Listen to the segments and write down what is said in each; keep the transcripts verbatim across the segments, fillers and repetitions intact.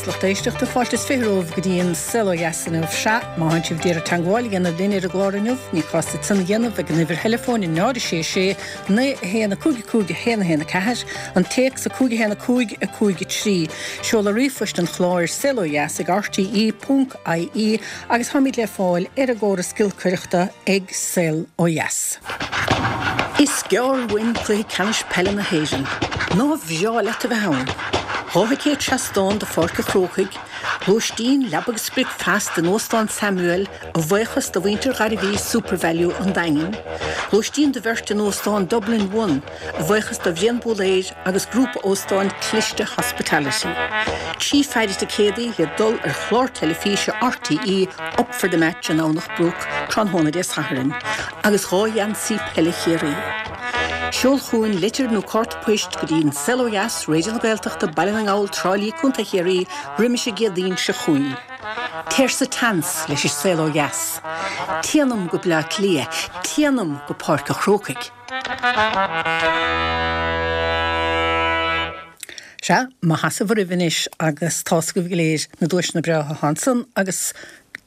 lucht éisteachta fáilte is fiche romhaibh go dtí an Saol Ó Dheas inniu. Sea, má thánn sibh d'iarraidh teagmháil a dhéanamh linn ar an gclár inniu, ní cás duit san a dhéanamh ag an uimhir theileafóin náid a sé sé naoi a haon a cúig a cúig a haon a haon a ceathair, an téacs a cúig a haon a cúig a cúig a trí, seoladh ríomhphoist an chláir saolodheas ag rte ponc ie agus táimid le fáil ar an gcóras giolcaireachta ag Saol Ó Dheas. Is gearr uainn cluiche ceannais peile na hÉireann. Nár bhreá leat a bheith ann? Dhá thicéad seastán do Pháirc an Chrócaigh, lóistín, leaba agus bricfeasta in Óstán Samuel a bhuíochas do mhuintir Ghairbhí Supervalu an Daingin, lóistín do bheirt in Óstán Dublin One a bhuíochas do Bhrian Búléir agus grúpa óstán Cliste Hospitality. Trí pheidhre ticéadaí le dul ar chlár teilifíse RTÉ Up for the Match i nDomhnach Broc tráthnóna Dé Sathairn agus dhá gheansaí peile Chiarraí. Seol chugainn litir nó cárta poist go dtí an Saol Ó Dheas, Raidió na Gaeltachta, Baile na nGall, Trá Lí, Contae Chiarraí, roimis an gCéadaoin seo chugainn. Téir sa tseans leis an Saol Ó Dheas. Téanam go Bleá Cliath, téanam go Páirc an Chrócaigh. Sea, maith sheasamh oraibh anois agus tá's agaibh go léir na duaiseanna breátha atá ansan agus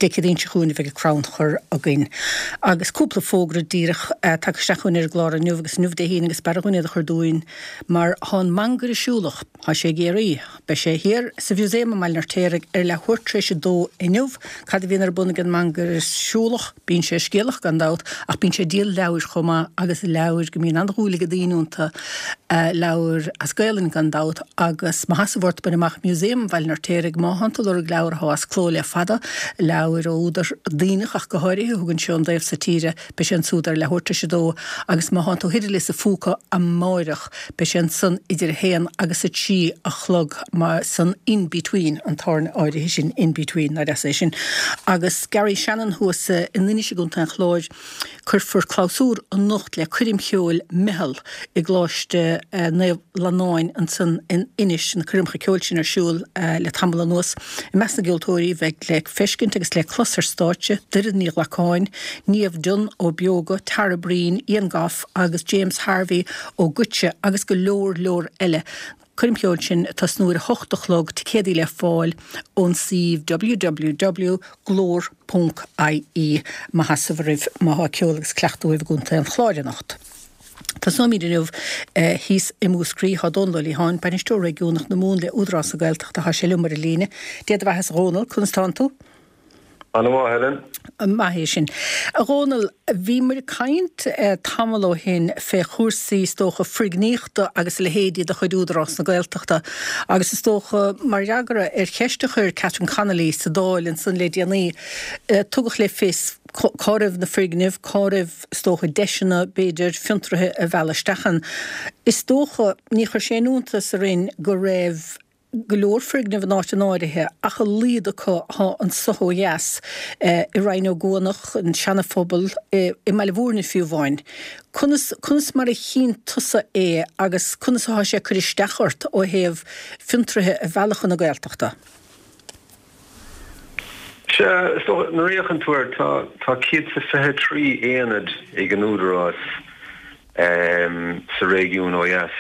Dé Céadaoin seo chugainn a bheidh an crannchur againn. Agus cúpla fógra díreach tagtha isteach chugainn ar an gclár inniu agus inniu Dé hAoine agus b'fhearra dhúinn iad a chur dúinn mar thá an Mangaire Siúlach, thá sé i gCiarraí, beidh sé thiar sa Mhuseum i mBaile an Fheirtéaraigh ar leathuair tar éis a dó inniu. Cad a bhíonn ar bun ag an Mangaire Siúlach? Bíonn sé scéalach gan dabht ach bíonn sé ag díol leabhair chomh maith agus leabhair go mbíonn an-dhúil ag daoine iontu, leabhair as Gaelainn gan dabht agus má sheasamh ort bain amach Museum Bhaile an Fheirtéaraigh má thánn tú ag lorg leabhar athá as cló le fada, leabhair ó údar Duibhneach ach go háirithe, a thugann seo ón dtaobh so tíre, beidh sé ansúd ar leathuair tar éis a dó agus má thánn tú thoir i Lios a' Phúca amáireach beidh sé ansan idir a haon agus a trí a chlog mar san In Between, an tábhairne áirithe sin In Between, nár dheas é sin. Agus Garry Shannon thuas in Inis i gContae an Chláir. Cuirfear clabhsúr anocht le coirm cheoil Meitheal i gColáiste Naomh Fhlannáin ansan in Inis. Na coirmeacha ceoil sin ar siúl le tamall anuas. I measc na gceoltóirí a bheidh le feiscint agus le clos ar stáitse, Doireann Ní Ghlacáin, Niamh Dunne ó Beoga, Tara Breen, Ian Gough agus James Harvey ó Goitse agus go leor leor eile. Coirm cheoil sin ag tosnú ar a hocht a chlog, ticéadaí le fáil ón suíomh www glór ponc ie. Maith sheasamh oraibh má thá ceol agus cleachtadh uaibh i gContae an Chláir anocht. Tosnóimid inniu thíos i Múscraí. Thá Dónal Ó Liatháin, Bainisteoir Réigiúnach na Mumhan le Údarás na Gaeltachta, thá sé liom ar an líne. Dé do bheatha-sa a Dhónaill, conas tánn tú? Ana-mhaith, Helen. Maith é sin. A Dhónaill, bhí muid ag caint tamall ó shin fé chúrsaí, is dócha, foirgníochta agus a leithéidí de chuid Údarás na Gaeltachta agus is dócha, mar fhreagra ar cheist a chuir Catherine Connolly sa Dáil ansan le déanaí, tugadh le fios cá raibh na foirgnimh, cá raibh, is dócha, deiseanna, b'fhéidir, fiontraithe a mhealladh isteach ann. Is dócha, ní chuir sé aon iontas orainn go raibh, go leor foirgneamh in áiteanna áirithe ach a laghad acu thá anso ó dheas, i Rinn Ó gCuanach, an Seana-Phobal, i mBaile Mhúirne fiú amháin. Conas, conas mar a chíonn tusa é agus conas athá sé ag cur isteach ort ó thaobh fiontraithe a mhealladh chun na Gaeltachta? Sea, is dócha, nuair a fhéachann tú air, tá, tá céad is a fiche trí aonad ag an Údarás sa réigiún ó dheas.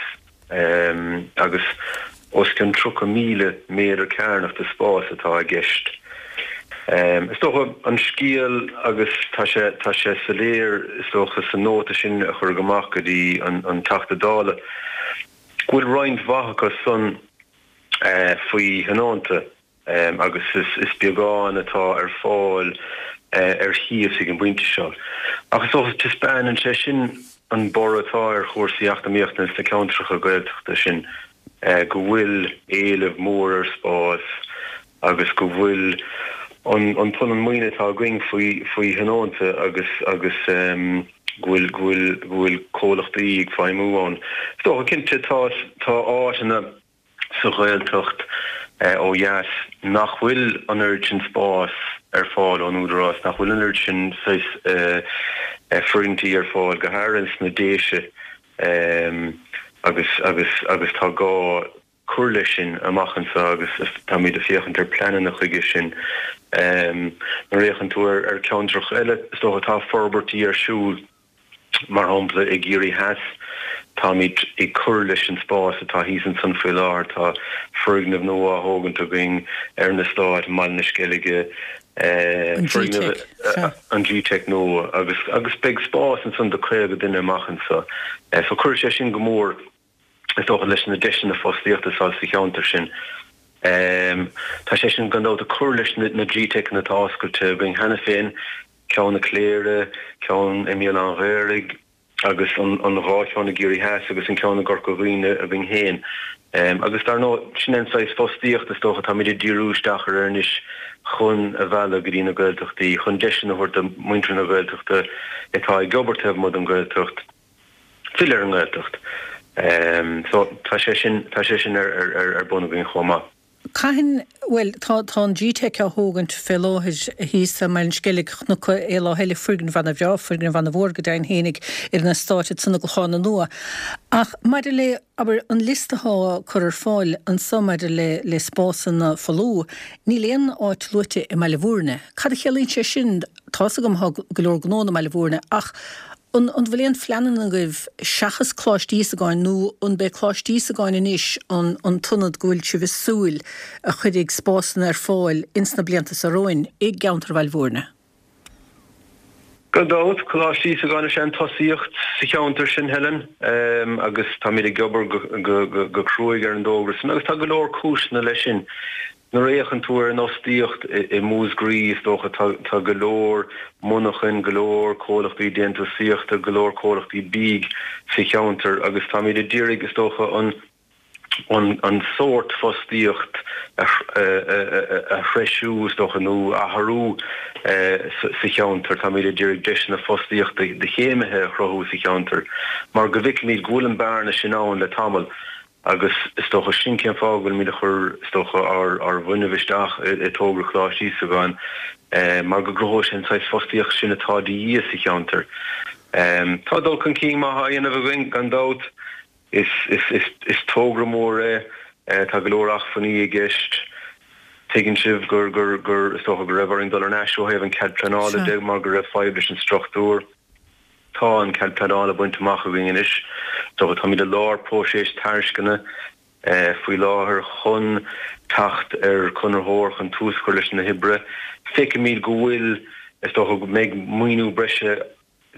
agus os cionn tríocha míle méadar cearnach de spás atá i gceist. Is dócha an scéal, agus tá sé tá sé soiléir is dócha sa nóta sin a cuireadh amach go dtí an Teachta Dála, go bhfuil roinnt mhaith acu san faoi thionónta. agus is beagán atá ar fáil ar chíos ag an bpointe seo. Ach is dócha, taispeánann sé sin an borradh atá ar chúrsaí eacnamaíochta sna ceantracha Gaeltachta sin, go bhfuil éileamh mór ar spás agus go bhfuil an punann maoine atá againn faoi faoi thionónta agus agus go bhfuil go bhfuil go bhfuil comhlachtaí ag feidhmiú ann. Is dócha, cinnte, tá tá áiteanna. sa Ghaeltacht ó dheas nach bhfuil an oiread sin spáis ar fáil ón Údarás, nach bhfuil an oiread sin saghas foirgintí ar fáil, go háirithe sna Déise agus agus agus tá gá cur leis sin amach anseo agus táimid ag féachaint ar pleananna chuige sin. Nuair a fhéachann tú ar cheantracha eile, is dócha tá forbairtí ar siúl. Mar shampla, i gCiarraí Theas, Táimid ag cur leis an spás atá thíos ansan faoi láthair, tá foirgneamh nua á thógaint againn ar an eastát i mBaile na Sceilge, foirgneamh an G-Tech nua agus agus beidh spás ansan do caoga duine amach anseo. So cuirfidh sé sin go mór is dócha leis na deiseanna fostaíochta atá sa cheantar sin. Tá sé sin gan dabht ag cur leis na G-Techanna atá oscailte againn cheana féin, ceann i Cléire, ceann i mBéal Átha an Ghaorthaidh agus an dhá cheann i gCiarraí Theas agus an ceann i gCorca Dhuibhne againn féin. Agus dar ndóigh, sin é an saghas fostaíocht is dócha atáimid ag díriú isteach air anois chun a mhealladh go dtí na Gaeltachtaí, chun deiseanna a thabhairt do mhuintir na Gaeltachta atá ag obair taobh amuigh den Ghaeltacht filleadh ar an nGaeltacht. So tá sé sin, tá sé sin ar bun againn chomh maith. Cathain, bhuel, tá, tá an G-Tech á thógaint fé láthair thíos i mBaile an Sceilg, chonac é lá eile, foirgneamh ana-bhreá, foirgneamh ana-mhór go deimhin fhéinig ar an eastát ansan i gClochán na Nua. Ach maidir le, abair, an liosta athá á cur ar fáil anso maidir le, le spásanna folamh, níl aon áit luaite i mBaile Bhúirne. Cad a chiallaíonn sé sin? Tá's agam thá go leor gnónna i mBaile Bhúirne ach An bhfuil aon phleananna agaibh seachas Coláiste Íosagáin nó an b'é Coláiste Íosagáin anois an an t-ionad go bhfuil sibh ag súil a chuirfidh spásanna ar fáil ins na blianta seo romhainn i gceantar Bhaile Bhúirne? Gan dabht, Coláiste Íosagáin is ea an tosaíocht sa cheantar sin, Helen, agus táimid ag obair go cruaidh ar an dtógra sin agus tá go leor cúiseanna leis sin. Nuair a fhéachann tú ar an fhostaíocht i Múscraí, is dócha, tá go leor monarchan, go leor comhlachtaí déantúsaíochta, go leor comhlachtaí bídh sa cheantar agus táimid ag d'iarraidh, is dócha, an an sórt fostaíocht a threisiú, is dócha, nó a athrú sa cheantar. Táimid ag d'iarraidh deiseanna fostaíochta do chéimithe a chruthú sa cheantar mar go bhfeicimid go bhfuil an bearna sin ann le tamall. Agus is dócha sin cén fáth go bhfuilimid ag cur, is dócha, ár ár bhfuinneamh isteach i dtógra Choláiste Íosagáin, mar go gcruthóidh sé an saghas fostaíocht sin atá de dhíth sa cheantar. Tá dul chun cinn maith á dhéanamh againn, gan dabht. Is is is is tógra mór é. Tá go leor acmhainní i gceist. Tuigeann sibh gur gur gur is dócha go raibh orainn dul ar ais ó thaobh an cead pleanála de mar go raibh fadhb leis an struchtúr. Tá an cead pleanála bainte amach againn anois. Táimid i lár próiseas tairisceana faoi láthair chun teacht ar chonraitheoir chun tús a chur leis na hoibre. Feicimid go bhfuil, is dócha go mbeidh maoiniú breise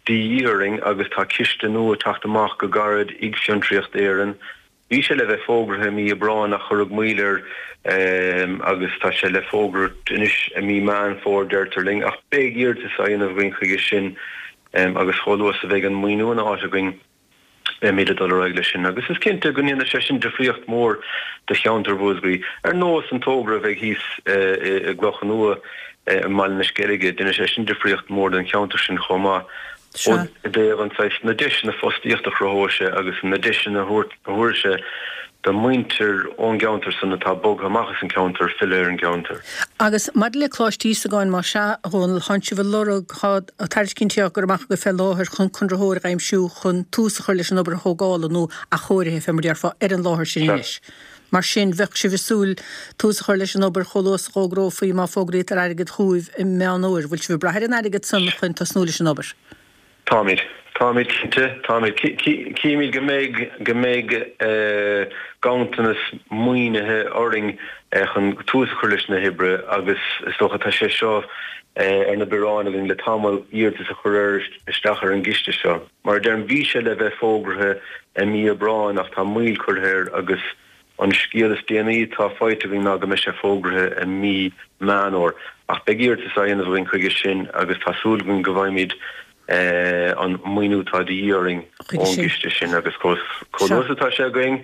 de dhíth orainn agus tá ciste nua ag teacht amach go gairid ag Fiontraíocht Éireann. Bhí sé le bheith fógraithe i mí Aibreáin ach cuireadh moill air agus tá sé le fógairt anois i mí Meán Fómhair deirtear linn ach beidh iarratas á dhéanamh againn chuige sin agus chomh luath is a bheidh an maoiniú ina áit againn beimid ag dul ar aghaidh leis sin agus is cinnte go ndéanfaidh sé sin difríocht mhór do cheantar Mhúscraí ar nós an togra a bheidh thíos i gCloich Nua i mBaile na Sceilge, déanfaidh sé sin difríocht mhór don cheantar sin chomh maith. Sea. I dtaobh an saghas, na deiseanna fostaíochta a chruthóidh sé agus na deiseanna a thabharfaidh sé do mhuintir ón gceantar san atá bogtha amach as an gceantar filleadh ar an gceantar. Agus maidir le Coláiste Íosagáin, más ea, a Dhónaill, thánn sibh ag lorg, tá tairiscintí á gcur amach agaibh fé láthair chun conraitheoir a aimsiú chun tús a chur leis an obair thógála nó athchóirithe, fé mar déarfá, ar an láthair sin Sea. anois. Mar sin, bheadh sibh ag súil tús a chur leis an obair chomh luath is a dh'fhógrófaí má fógraítear airgead chugaibh i Meán Fhómhair. Bhfuil sibh ag brath ar an airgead san chun tosnú leis an obair? Táimid. Táimid cinnte. Táimid. Címid go mbeidh, go mbeidh ganntanas maoinithe orainn chun tús a chur leis na hoibre agus is dócha tá sé seo ar na bioráin againn le tamall, iarratas a chur ar, isteach ar an gciste seo. Mar a deirim, bhí sé le bheith fógraithe i mí Aibreáin ach tá moill curtha air agus An scéal is déanaí atá faighte againn ná go mbeidh sé fógraithe i mí Meán Fhómhair, ach beidh iarratas á dhéanamh againn chuige sin agus tá súil againn go bhfaighimid an maoiniú atá de dhíth orainn ón gciste sin agus chomh luath is atá sé againn,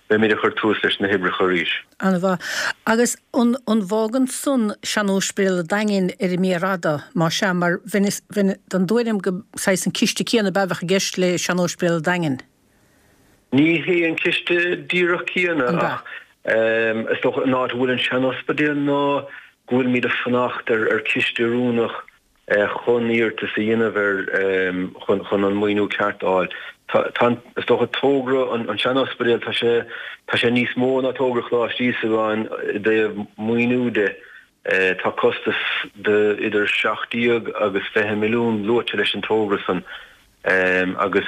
beimid ag cur tús leis na hoibreacha arís. An-mhaith. Agus an bhfágann san sean-óispidéal an Daingin ar an mhéar fhada, más ea, mar bheinn den dtuairim go saghas an ciste céanna ab ea a bheadh i gceist le sean-óispidéal an Daingin? Ní hé an ciste díreach céanna ach is dócha an áit a bhfuil an sean-ospidéal ná go bhfuilimid ag fanacht ar chiste oiriúnach chun iarratas a dhéanamh ar chun an maoiniú ceart a fháil. Tá is dócha togra an sean-ospidéil tá sé tá sé níos mó ná togra Choláiste Íosagáin i dtaobh maoiniú de. Tá costas de idir seacht déag agus fiche milliún luaite leis an togra san. Agus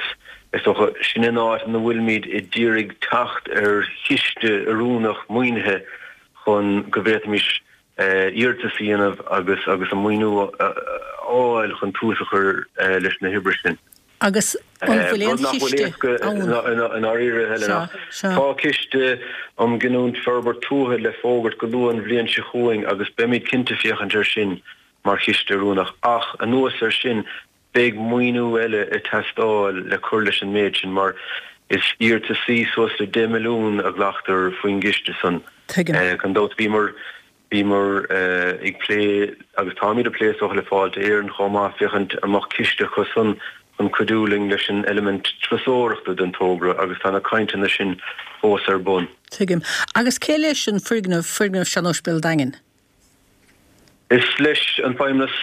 is dócha, sin an áit ina bhfuilimid ag iarraidh teacht ar chiste oiriúnach maoinithe chun go bhféadfaimis iarratas a dhéanamh agus agus an maoiniú a fháil chun tús a chur leis na hoibreacha sin. Agus an bhfuil aon chiste ann? I ndáiríre, Helena, tá ciste um ghiniúint forbairt tuaithe le fógairt go luath an bhliain seo chugainn agus beimid cinnte féachaint air sin mar chiste oiriúnach. Ach anuas air sin, beidh maoiniú eile ag teastáil le cur leis an méid sin mar is iarrataisí suas le deich milliún a ghlactar faoin gciste san. Tuigim. Gan dabht bhíomar bhíomar ag plé agus táimid ag plé is dócha le Fáilte Éireann chomh maith féachaint an mbeadh ciste acu san chun cuidiú linn leis an eilimint turasóireachta den togra agus tá na cainteanna sin fós ar bun. Tuigim. Agus cé leis an foirgneamh, foirgneamh Sean-Ospidéal Daingean? Is leis an Feidhmeannas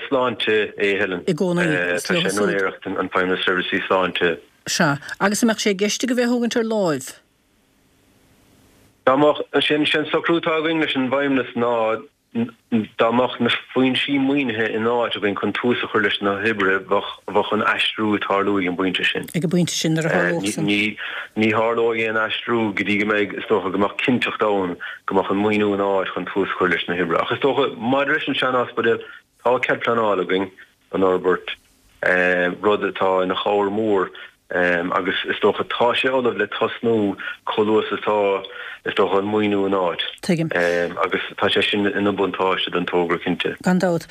Sláinte é, Helen. I gcónaí, is Tá leo sé in siúd. úinéireacht an Feidhmeannas Seirbhísí Sláinte. Sea. Agus an mbeadh sé i gceist agaibh é a thógaint ar láimh? Dá mbeadh, sin an socrú atá againn leis an bhFeidhmeannas ná dá mbeadh na foinsí maoinithe in áit againn chun tús a chur leis na hoibrithe, bheadh, bheadh an aistriú ag tarlú ag an bpointe sin. Ag an bpointe sin, nuair a tharlódh san. Ní, ní tharlóidh aon aistriú go dtí go mbeidh, is dócha, go mbeadh cinnteacht ann go mbeadh an maoiniú in áit chun tús a chur leis na hoibrithe. Ach is dócha, maidir leis an sean-ospidéal, tá cead pleanála againn don fhorbairt. rud atá ina chabhair mhór agus is dócha tá sé ullamh le tosnú chomh luath is atá is dócha an maoiniú in áit. Tuigim. Agus tá sé sin ina bhuntáiste don togra cinnte. Gan dabht.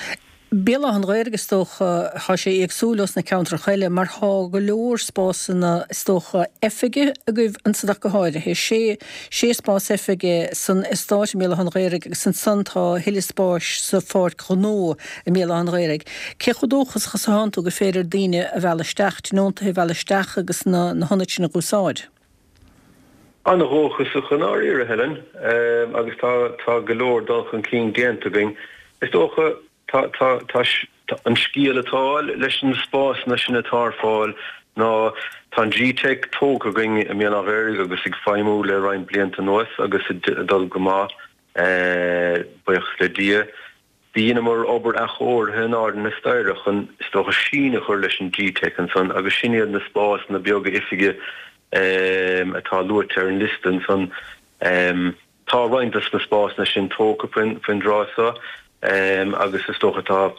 Béal Átha an Ghaorthaidh is dócha, tá sé éagsúil ós na ceantracha eile mar tá go leor spásanna is dócha oifige agaibh ansan ach go háirithe. Sé sé spás oifige san eastát i mBéal Átha an Ghaorthaidh agus ansan tá a thuilleadh spáis sa pháirc ghnó i mBéal Átha an Ghaorthaidh. Cé chomh dóchasach is atánn tú gur féidir daoine a mhealladh isteach, tionóntaithe a mhealladh isteach agus na na hionaid sin a dh'úsáid? An-dhóchasach i ndáiríre, Helen, agus tá tá go leor dul chun cinn déanta againn. Is dócha, tá tá tá an scéal atá leis na spásanna sin atá ar fáil ná tá an G-Teic tógtha againn i mBéal Átha an Ghaorthaidh agus ag feidhmiú le roinnt blianta anuas agus ag dul go maith, buíochas le Dia. Dheineamar obair athchóirithe in airde na staighre chun, is dócha, síneadh a chur leis an G-Teic ansan agus sin iad na spásanna beaga oifige atá luaite ar an liosta ansan. Tá roinnt dos na spásanna sin tógtha faoin dtráth seo agus is dócha tá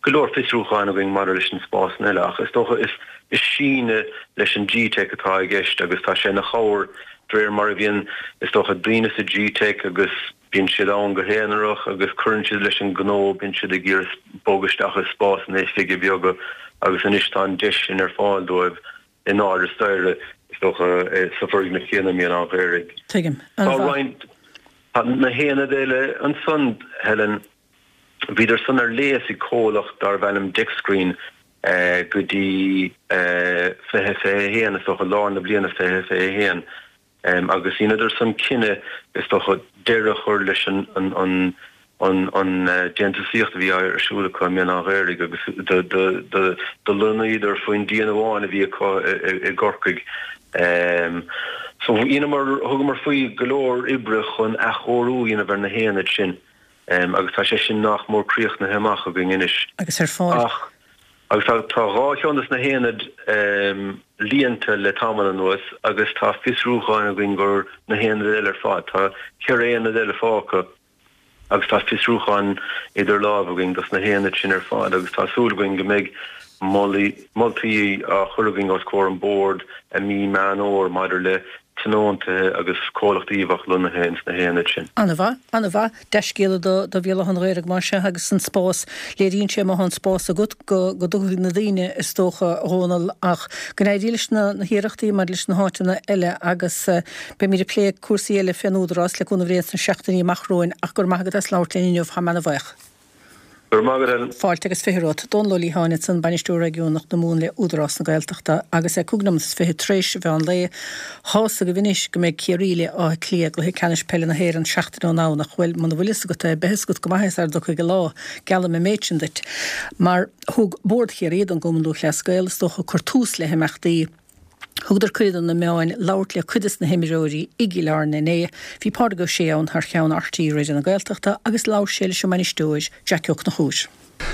go leor fiosrúcháin againn maidir leis na spásanna eile ach is dócha is síneadh leis an G-Teic atá i gceist agus tá sé ina chabhair de réir mar a bhíonn, is dócha, daoine sa G-Teic agus Bíonn siad ann go haonarach agus cuireann siad leis an ngnó, bíonn siad ag iarraidh bogadh isteach i spásanna oifige beaga agus anois tá an deis sin ar fáil dóibh in airde staighre, is dócha, sa bhfoirgneamh céanna i mBéal Átha an Ghaorthaidh. Tuigim. Tá An-mhaith. roinnt, tá na haonaid eile ansan, Helen, bhíodar san ar léas ag comhlacht darbh ainm Dexgreen go dtí fiche fiche a haon, is dócha, lár na bliana fiche fiche a haon. Agus dheineadar san cinneadh, is dócha, deireadh a chur leis an an déantúsaíocht a bhí ar siúl acu i mBéal Átha an Ghaorthaidh agus do lonnaíodar faoin díon amháin a bhí acu i gCorcaigh. So dheineamar, thugamar faoi go leor oibre chun athchóiriú a dhéanamh ar na haonaid sin agus tá sé sin nach mór críochnaithe amach againn anois. Agus ar fáil. Ach. Agus tá tá dhá cheann de na haonaid líonta le tamall anuas agus tá fiosrúcháin againn do na haonaid eile ar fad. Tá ceithre aonad eile fágtha agus tá fiosrúcháin idir lámha againn dos na haonaid sin ar fad agus tá súil againn go mbeidh moltaí á chur againn os comhair an Bhoird i mí Meán Fhómhair maidir le tionóntaithe agus comhlachtaí a bheadh lonnaithe ins na haonaid sin. An-mhaith, an-mhaith. Dea-scéala do do Bhéal Átha an Ghaorthaidh mar sea agus an spás, léiríonn sé má thá an spás agat go go dtiocfaidh na daoine is dócha, a Dhónaill, ach go n-éirí leis na na hiarrachtaí maidir leis na háiteanna eile agus beimid ag plé cúrsaí eile fén Údarás le cúnamh Dé sna seachtainí amach romhainn ach go raibh maith agat as labhairt linn inniu, táim ana-bhuíoch. Go raibh maith agat, Helen. Fáilte agus fiche romhat. Dónal Ó Liatháin ansan, Bainisteoir Réigiúnach na Mumhan le Údarás na Gaeltachta agus é cúig nóiméad is fiche tar éis an mheán lae. Tá's agaibh anois go mbeidh Ciarraí le Áth Cliath i gcluiche ceannais peile na hÉireann seachtain ón nDomhnach. Bhuel, muna bhfuil fhios agat é, beidh fhios agat go maith é sara dtiocfaidh an lá. Geallaim an méid sin duit. Mar thug Bord Chiarraí don gCumann Lúthchleas Gael, is dócha, cur tús le himeachtaí. Thugadar cuireadh do na meáin labhairt le cuid des na himreoirí i gCill Airne inné. Bhí Pádraig Ó Sé ann thar cheann RTÉ Raidió na Gaeltachta agus labhair sé leis an mbainisteoir, Jackie Ó Conchúir.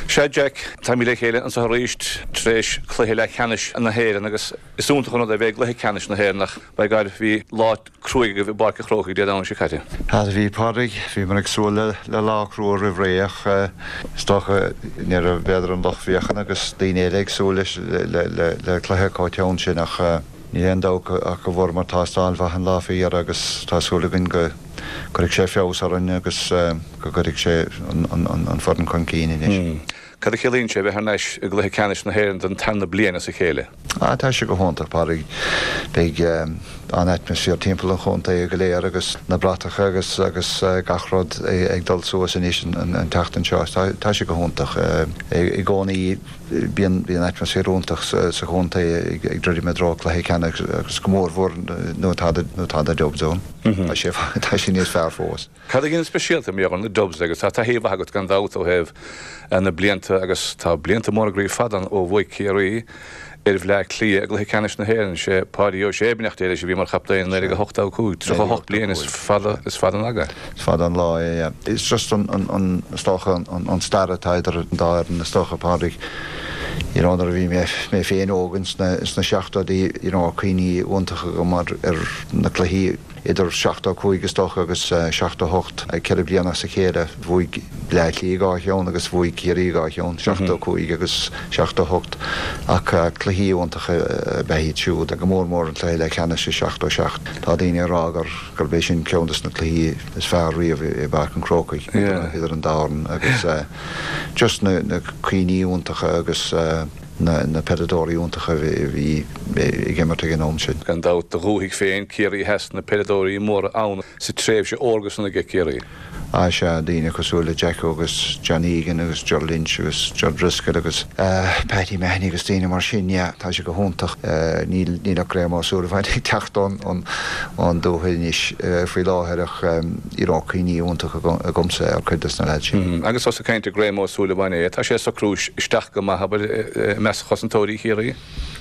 Sea Jack, táimid le chéile anseo arís tar éis cluiche leathcheannais na hÉireann agus is iontach an rud é bheith i gcluiche ceannais na hÉireann ach by God bhí lá cruaidh agaibh i bPáirc an Chrócaigh Dé Domhnaigh seo caite. Ah bhí Pádraig, bhíomar ag súil le le lá crua roimh ré ach is dócha ní raibh b'fhéidir an lucht féachana agus daoine eile ag súil leis le le le cluiche chomh teann sin ach níl aon dabht ach go bhfuaireamar tástáil mhaith an lá faoi dheireadh agus tá súil againn go gcuirfidh sé feabhas orainn agus go gcuirfidh sé an foireann chun cinn anois. Cad a chiallaíonn sé bheith thar n-ais i gcluiche ceannais na hÉireann don tarna bliain as a chéile? Ah tá sé go hiontach, Pádraig. Beidh an-atmaisféar timpeall an chontae go léir agus na bratacha agus agus gach rud ag dul suas anois an tseachtain seo. Tá sé go hiontach. I gcónaí bíonn bíonn atmaisféar iontach sa chontae ag druidim i dtreo cluiche ceannais agus go mórmhór nuair atá nuair atá na Dubs ann. Tá sé tá sé níos fearr fós. Cad a dhéanann speisialta mar gheall ar na Dubs agus tá taithí mhaith agat gan dabht ó thaobh na blianta agus tá blianta móra groí fada ann ó bhuaigh Ciarraí ar Bhleá Cliath i gcluiche ceannais na hÉireann. Sé Páidí Ó Sé beannacht Dé leis a bhí mar chaptaen i naoi déag a hocht a cúig, tríocha a hocht bliain, is fada is fada an aga. Is fada an lá é, yeah. It's just an an an is dócha an an stair atá idir an dá fhoireann is dócha Pádraig. You know nuair a bhí mé mé féin óg ins na ins na seachtóidí you know cuimhní iontacha agam ar ar na cluichí idir seachtó a cúig is dócha agus seachtó a hocht, ceithre bliana as a chéile, bhuaigh Bleá Cliath dhá cheann agus bhuaigh Ciarraí dhá cheann, seachtó a cúig agus seachtó a hocht, ach cluichí iontacha ab ea iad siúd, go mór mór an cluiche leathcheannais i seachtó a seacht. Tá daoine ag rá gur gurb é sin ceann des na cluichí is fearr riamh i bPáirc an Chrócaigh idir an dá fhoireann agus just na na cuimhní iontacha agus na peileadóirí iontacha a bhí ag imirt ag an am sin. Gan dabht, do dhúthaigh féin, Ciarraí Theas, na peileadóirí móra ann sa tréimhse órga san aige Ciarraí. Á sea, daoine cosúil le Jacko agus John Egan agus Ger Lynch agus Ger Driscoll agus Paddy Mahony agus daoine mar sin, yeah, tá sé go hiontach. Níl níl ach Graham Ó Súilleabháin ag teacht ón ón dúthaigh anois faoi láthair ach you know cuimhní iontacha agamsa ar chuid des na lads sin. Agus ós ag caint ar Graham Ó Súilleabháin é, tá sé ag socrú isteach go maith, abair, i measc chosantóirí Chiarraí?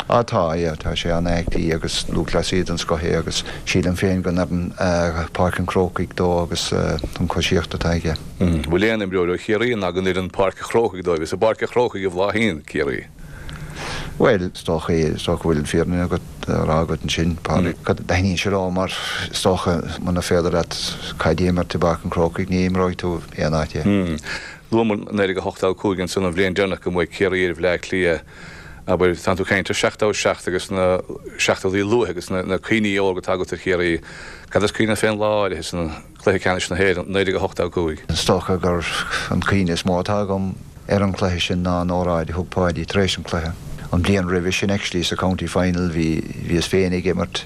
Á tá, yeah, tá sé an-aclaí agus lúthchleasaí den scoth é agus sílim féin go n-oireann Páirc an Chrócaigh dó agus an choisíocht atá aige. Bhfuil aon imreoir ó Chiarraí nach n-oireann Páirc an Chrócaigh dóibh? Is i bPáirc an Chrócaigh a bhláthaíonn Ciarraí. Bhuel, is dócha, is dócha go bhfuil an fírinne agat á rá agat ansin, Pádraig. Taitníonn sé leo mar is dócha muna féidir leat caid a imirt i bPáirc an Chrócaigh ní imreoidh tú aon áit eile. Luamar naoi déag a hocht a cúig ansan an bhliain deireanach go mbuaigh Ciarraí ar Bhleá Cliath. Abair, tánn tú ag caint ar seachtó a seacht agus na seachtóidí luaithe agus na cuimhní órga atá agat ar Chiarraí. Cad is cuimhin leat fén lá áirithe san, cluiche ceannais na hÉireann, naoi déag a hocht a cúig? Is dócha gur an cuimhne is mó atá agam ar an chluiche sin ná an óráid a thug Páidí tar éis an chluiche. An bhliain roimhe sin actually sa County Final bhí bhíos féin ag imirt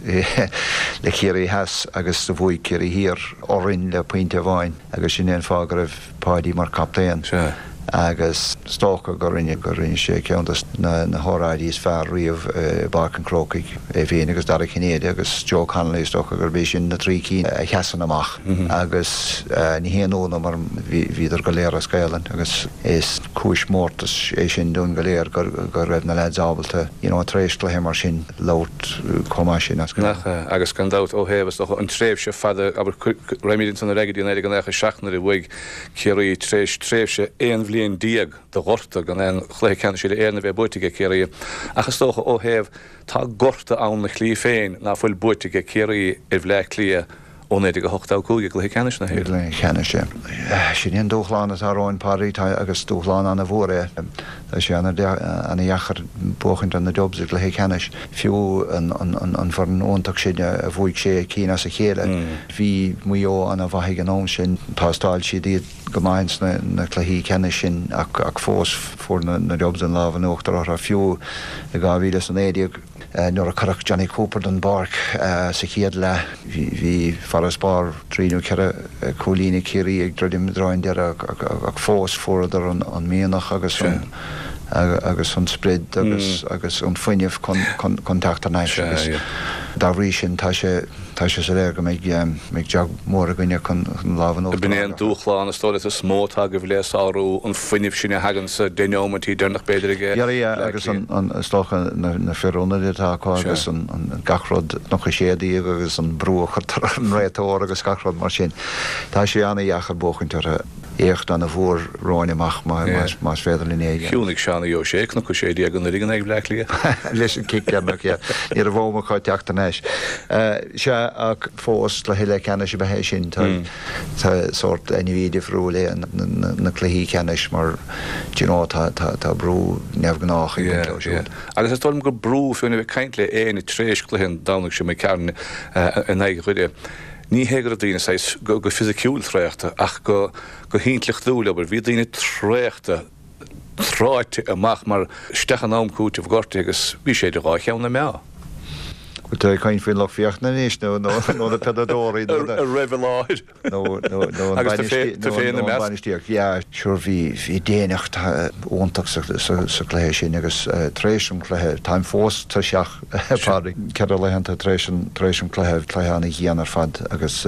le Ciarraí Theas agus do bhuaigh Ciarraí Thiar orainn le pointe amháin agus sin é an fáth go raibh Páidí mar captaen. Sea. Agus is dócha go rinne go rinne sé ceann de na na hóráidí is fearr riamh i bPáirc an Chrócaigh, é féin agus Dara Cinnéide agus Joe Connolly, is dócha gurb é sin na trí cinn a sheasann amach. Agus ní haon ionadh mar bhí bhíodar go léir as Gaelainn agus is cúis mórtais é sin dúinn go léir gur go raibh na leaids ábalta you know tar éis cluiche mar sin labhairt chomh maith sin as Gaelainn. Nach ea? Agus gan dabht ó thaobh is dócha an tréimhse fada, abair, raghaimid ansan ar aghaidh go dtí naoi déag nócha a seacht nuair a bhuaigh Ciarraí tar éis tréimhse aon bhliain déag de ghorta gan aon chluiche ceannais uile-Éireann a bheith buaite aige Ciarraí ach is dócha ó thaobh tá gorta ann 'na shlí féin ná fuil buaite aige Ciarraí ar Bhleá Cliath ó naoi déag a hocht a cúig i gcluiche ceannais na hÉireann. Cluiche ceannais, é. Sin é an dúshlán atá romhainn, Pádraig, tá agus dúshlán an-mhór é. Tá sé an-dheacair buachaint ar na Dubs i gcluiche ceannais, fiú an fhoireann iontach sin a bhuaigh sé cinn as a chéile. Bhí Maigh Eo an-mhaith ag an am sin. Thástáil siad iad go maith ins na cluichí ceannais sin ach fós fuair na Dubs an lámh in uachtar orthu, fiú i dhá mhíle is a naoi déag. Nuair a cuireadh Jonny Cooper den bpáirc sa chéad leath, bhí farasbarr trí nó ceithre chúilín ag Ciarraí ag druidim i dtreo an deireadh ach fós fuaireadar an mianach agus an agus an sprid agus agus an fuinneamh chun teacht thar n-ais agus dá bhrí sin tá sé Tá sé soiléir go mbeidh mbeidh job mór againne chun an lámh in uachtar B'in a é an fháil. dúshlán is dóigh leat is mó atá agaibh le sárú, an fuinneamh sin a thagann sa deich neomaintí deireanach b'fhéidir ag Yeah, yeah, Bleá agus Cliath. an, is dócha na, na fir ionaid atá acu Sea. agus an, an, gach rud, Cnoc a sé déag agus an brú a chuirtear ar an réiteoir agus gach rud mar sin. Tá sé an-dheacair buachaint orthu. éacht an-mhór romhainn amach más féidir linn é a dhéanamh. Chiúnaigh Seánie O'Shea Cnoc a sé déag anuraidh in aghaidh Bhleá Cliath. Leis an cic deireanach, yeah. Ní raibh am acu teacht thar n-ais. Sea, ach fós cluiche leathcheannais ab ea é sin. Tá tá sórt ainmhí difriúil é na cluichí ceannais mar do you know tá tá tá brú neamhghnách ag baint leo siúd. Agus is dóigh liom gur brú fiú a bheith ag caint le éinne tar éis cluiche an Domhnaigh seo imigh tharainn in aghaidh Dhoire. Ní hé go raibh daoine saghas go fisiciúil traochta ach go go hintleachtúil, abair. Bhí daoine traochta, tráite amach mar isteach in am cúitimh gortaithe agus bhí sé idir dhá cheann na meá. Bhfuil tú ag caint faoin lucht féachana anois nó nó na peileadóirí nó a raibh i láthair? Nó nó nó an bainistíocht? Yeah, sure bhí bhí daonnacht iontach sa sa chluiche sin agus tar éis an chluiche, táim fós tuirseach Pádraig, ceithre laethanta tar éis an tar éis an chluiche, cluiche ana-dhian ar fad agus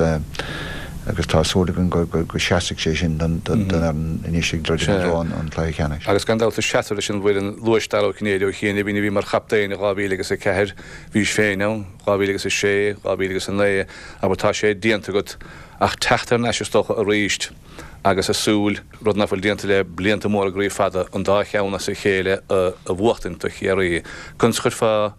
agus tá súil againn go go seasfaidh sé sin don don fhoireann anois ag druidim i dtreo an chluiche ceannais. Agus gan dabht is seasamh leis an bhfoireann luais Dara Ó Cinnéide ó chianaibh, a bhí mar chaptaen i dhá mhíle agus a ceathair, bhís féin ann, dhá mhíle agus a sé, dhá mhíle agus a naoi, abair tá sé déanta agat ach teacht thar n-ais is dócha arís agus a súil, rud nach bhfuil déanta le blianta móra groí fada, an dá cheann as a chéile a bhuachtaint do Chiarraí. Conas a chuirfeá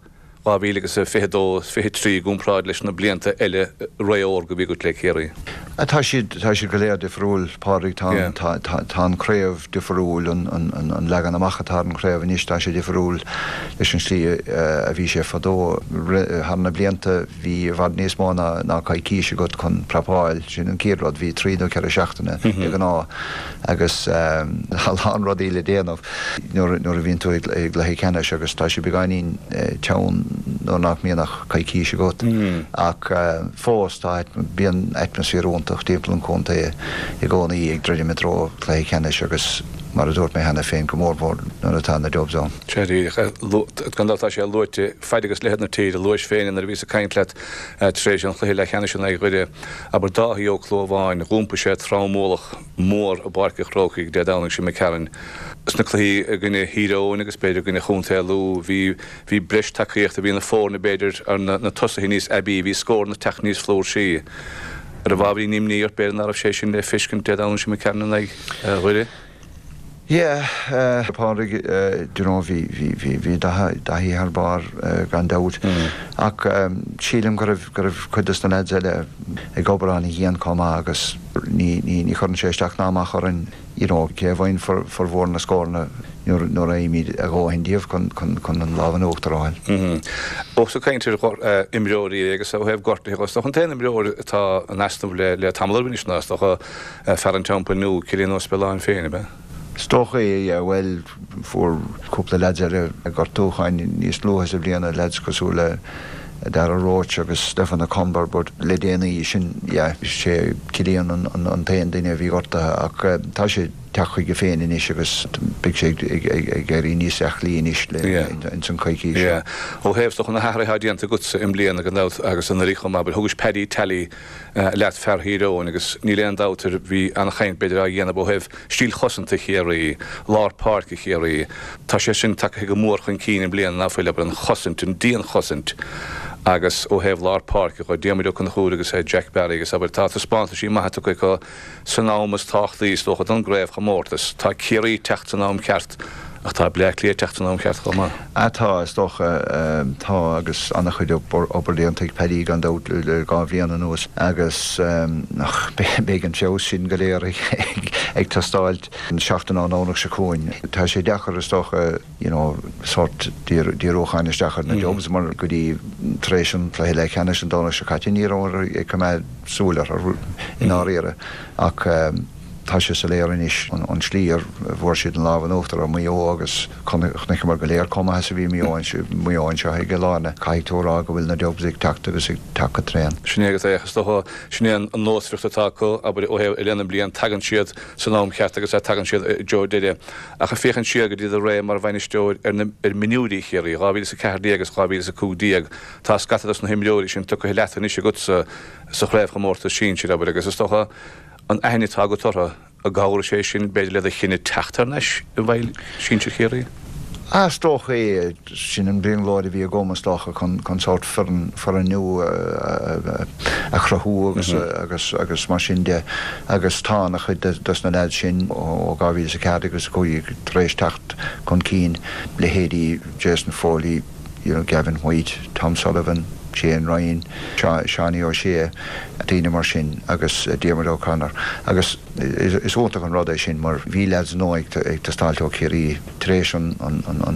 dhá mhíle agus a fiche dó, fiche trí i gcomparáid leis na blianta eile ré órga a bhí agat le Ciarraí? Tá siad, tá siad go léir difriúil, Pádraig. Tá, tá, tá, tá an chraobh difriúil, an, an, an, an leagan amach atá ar an chraobh anois, tá sé difriúil leis an slí a bhí sé fadó. Thar na blianta bhí i bhfad níos mó ná, ná coicís agat chun prapáil, sin an chéad rud, bhí trí nó ceithre seachtaine de ghnáth agus a lán rudaí le déanamh nuair, nuair a bhíonn tú i gcluiche ceannais agus tá sé beagáinín teann nuair nach mbíonn ach coicís agat. Ach fós tá, bíonn atmaisféar iontach timpeall an chontae i gcónaí ag druidim i dtreo cluiche ceannais agus mar a dúirt mé cheana féin, go mór mór nuair atá na Dubs ann. Sea, díreach. Gan dabht tá sé luaite, faid agus leithead na tíre, luais féin nuair a bhíos ag caint leat tar éis an chluiche leathcheannais in aghaidh Dhoire, abair Dáithí Ó Clúmháin, dh'iompaigh sé tromualach mór i bPáirc an Chrócaigh Dé Domhnaigh seo imigh tharainn. Sna cluichí i gcoinne Thír Eoghain agus b'fhéidir i gcoinne Chontae Lú, bhí bhí breis tacaíochta, bhí na foirne b'fhéidir, ar na na tosaithe níos aibí, bhí scóranna ag teacht níos flúirsí. An raibh ábhairín imní ort b'fhéidir nach raibh sé sin le feiscint Dé Domhnaigh seo imigh tharainn in aghaidh Dhoire? Yeah, a Phádraig, do you know, bhí bhí bhí bhí Daithí thar barr gan dabht ach sílim go raibh go raibh cuid dos na lads eile ag obair an-dhian chomh maith agus ní ní ní chuireann sé isteach ná amach orainn you know cé a bhfaigheann formhór na scóranna nuair nuair a fhaighimid a dhóthain díobh chun chun chun an lámh in uachtar a fháil. Ós ag caint ar imreoirí agus ó thaobh gortuithe is dócha an t-aon imreoir atá in easnamh le le tamall anois ná is dócha fear an Teampaill Nua, Cillian Ó Spealáin féin, ab ea? Is dócha é, yeah, bhuel fuair cúpla leaids eile gortúcháin níos luaithe sa bhliain, leaids cosúil le Dara Roche agus Stephen O'Comber but le déanaí sin, yeah, is é Cillian an an an t-aon duine a bhí gortaithe ach tá sé ag teacht chuige féin anois agus beidh sé ag ag ag ag éirí níos aclaí anois le Yeah. ins an coicís seo. Yeah. Ó thaobh is dócha na hathruithe atá déanta agatsa i mbliana gan dabht agus anuraidh chomh maith, thugais Paddy Tally leat fear Thír Eoghain agus níl aon dabht air bhí an-chaint b'fhéidir á dhéanamh ó thaobh stíl chosanta Chiarraí, lár páirce Chiarraí. Tá sé sin tagtha go mór chun cinn i mbliana ná fuil, abair, an chosaint, an dianchosaint agus ó thaobh lár páirce dhe, Diarmuid Ó Conchúir agus Jack Barry agus abair tá taispeántaisí maithe tugtha acu san am is tábhachtaí is dócha don gcraobhchomórtas. Tá Ciarraí ag teacht san am ceart Ach tá Bleá Cliath ag teacht san am ceart chomh maith. Ah tá, is dócha. Tá, agus an-chuid obair déanta ag Paddy gan dabht le dhá bhliain anuas agus ach beidh an feabhas sin go léir ag teastáilt an seachtain ón nDomhnach seo chugainn. Tá sé deacair is dócha you know sórt díriúcháin isteach ar na Dubs mar go dtí tar éis an cluiche leathcheannais an Domhnach seo caite ní rabhamar ag coimeád súil orthu i ndáiríre ach Tá sé soiléir anois an tslí ar bhfuair siad an lámh in uachtar ar Mhaigh Eo agus chonaiceamar go léir chomh maith is a bhí Maigh Eo anseo i gCill Airne. Caithfidh tú a rá go bhfuil na Dubs ag teacht agus ag teacht go tréan. Sin é agus é, is dócha, sin é an nósmhaireacht atá acu, abair, ó thaobh i leith na mblian, tagann siad san am cheart agus tagann siad i dtreo deireadh. Ach ag féachaint siar go dtí do ré mar bhainisteoir ar na ar mionúirí Chiarraí, dhá mhíle is a ceathair déag agus dhá mhíle is a cúig déag, tá scata dos na himreoirí sin tugtha leat anois agatsa sa chraobhchomórtas sinsir, abair, agus is dócha, An aithne atá agat orthu, an gcabhróidh sé sin, b'fhéidir, le do chinneadh teacht thar n-ais i bhfeighil sinsir Chiarraí? Ah, is dócha é, sin an brionglóid a bhí agam is dócha chun chun sórt foireann foireann nua a chruthú agus agus agus mar sin de agus tá an-chuid dos na leaids sin ó dhá mhíle is a ceathair agus a cúig tar éis teacht chun cinn, leithéidí Jason Foley, you know, Gavin White, Tom Sullivan, Shane Ryan, Seánie O'Shea, daoine mar sin agus Diarmuid O'Connor agus is iontach an rud é sin mar bhí leaids nua ag teastáilt ó Chiarraí tar éis an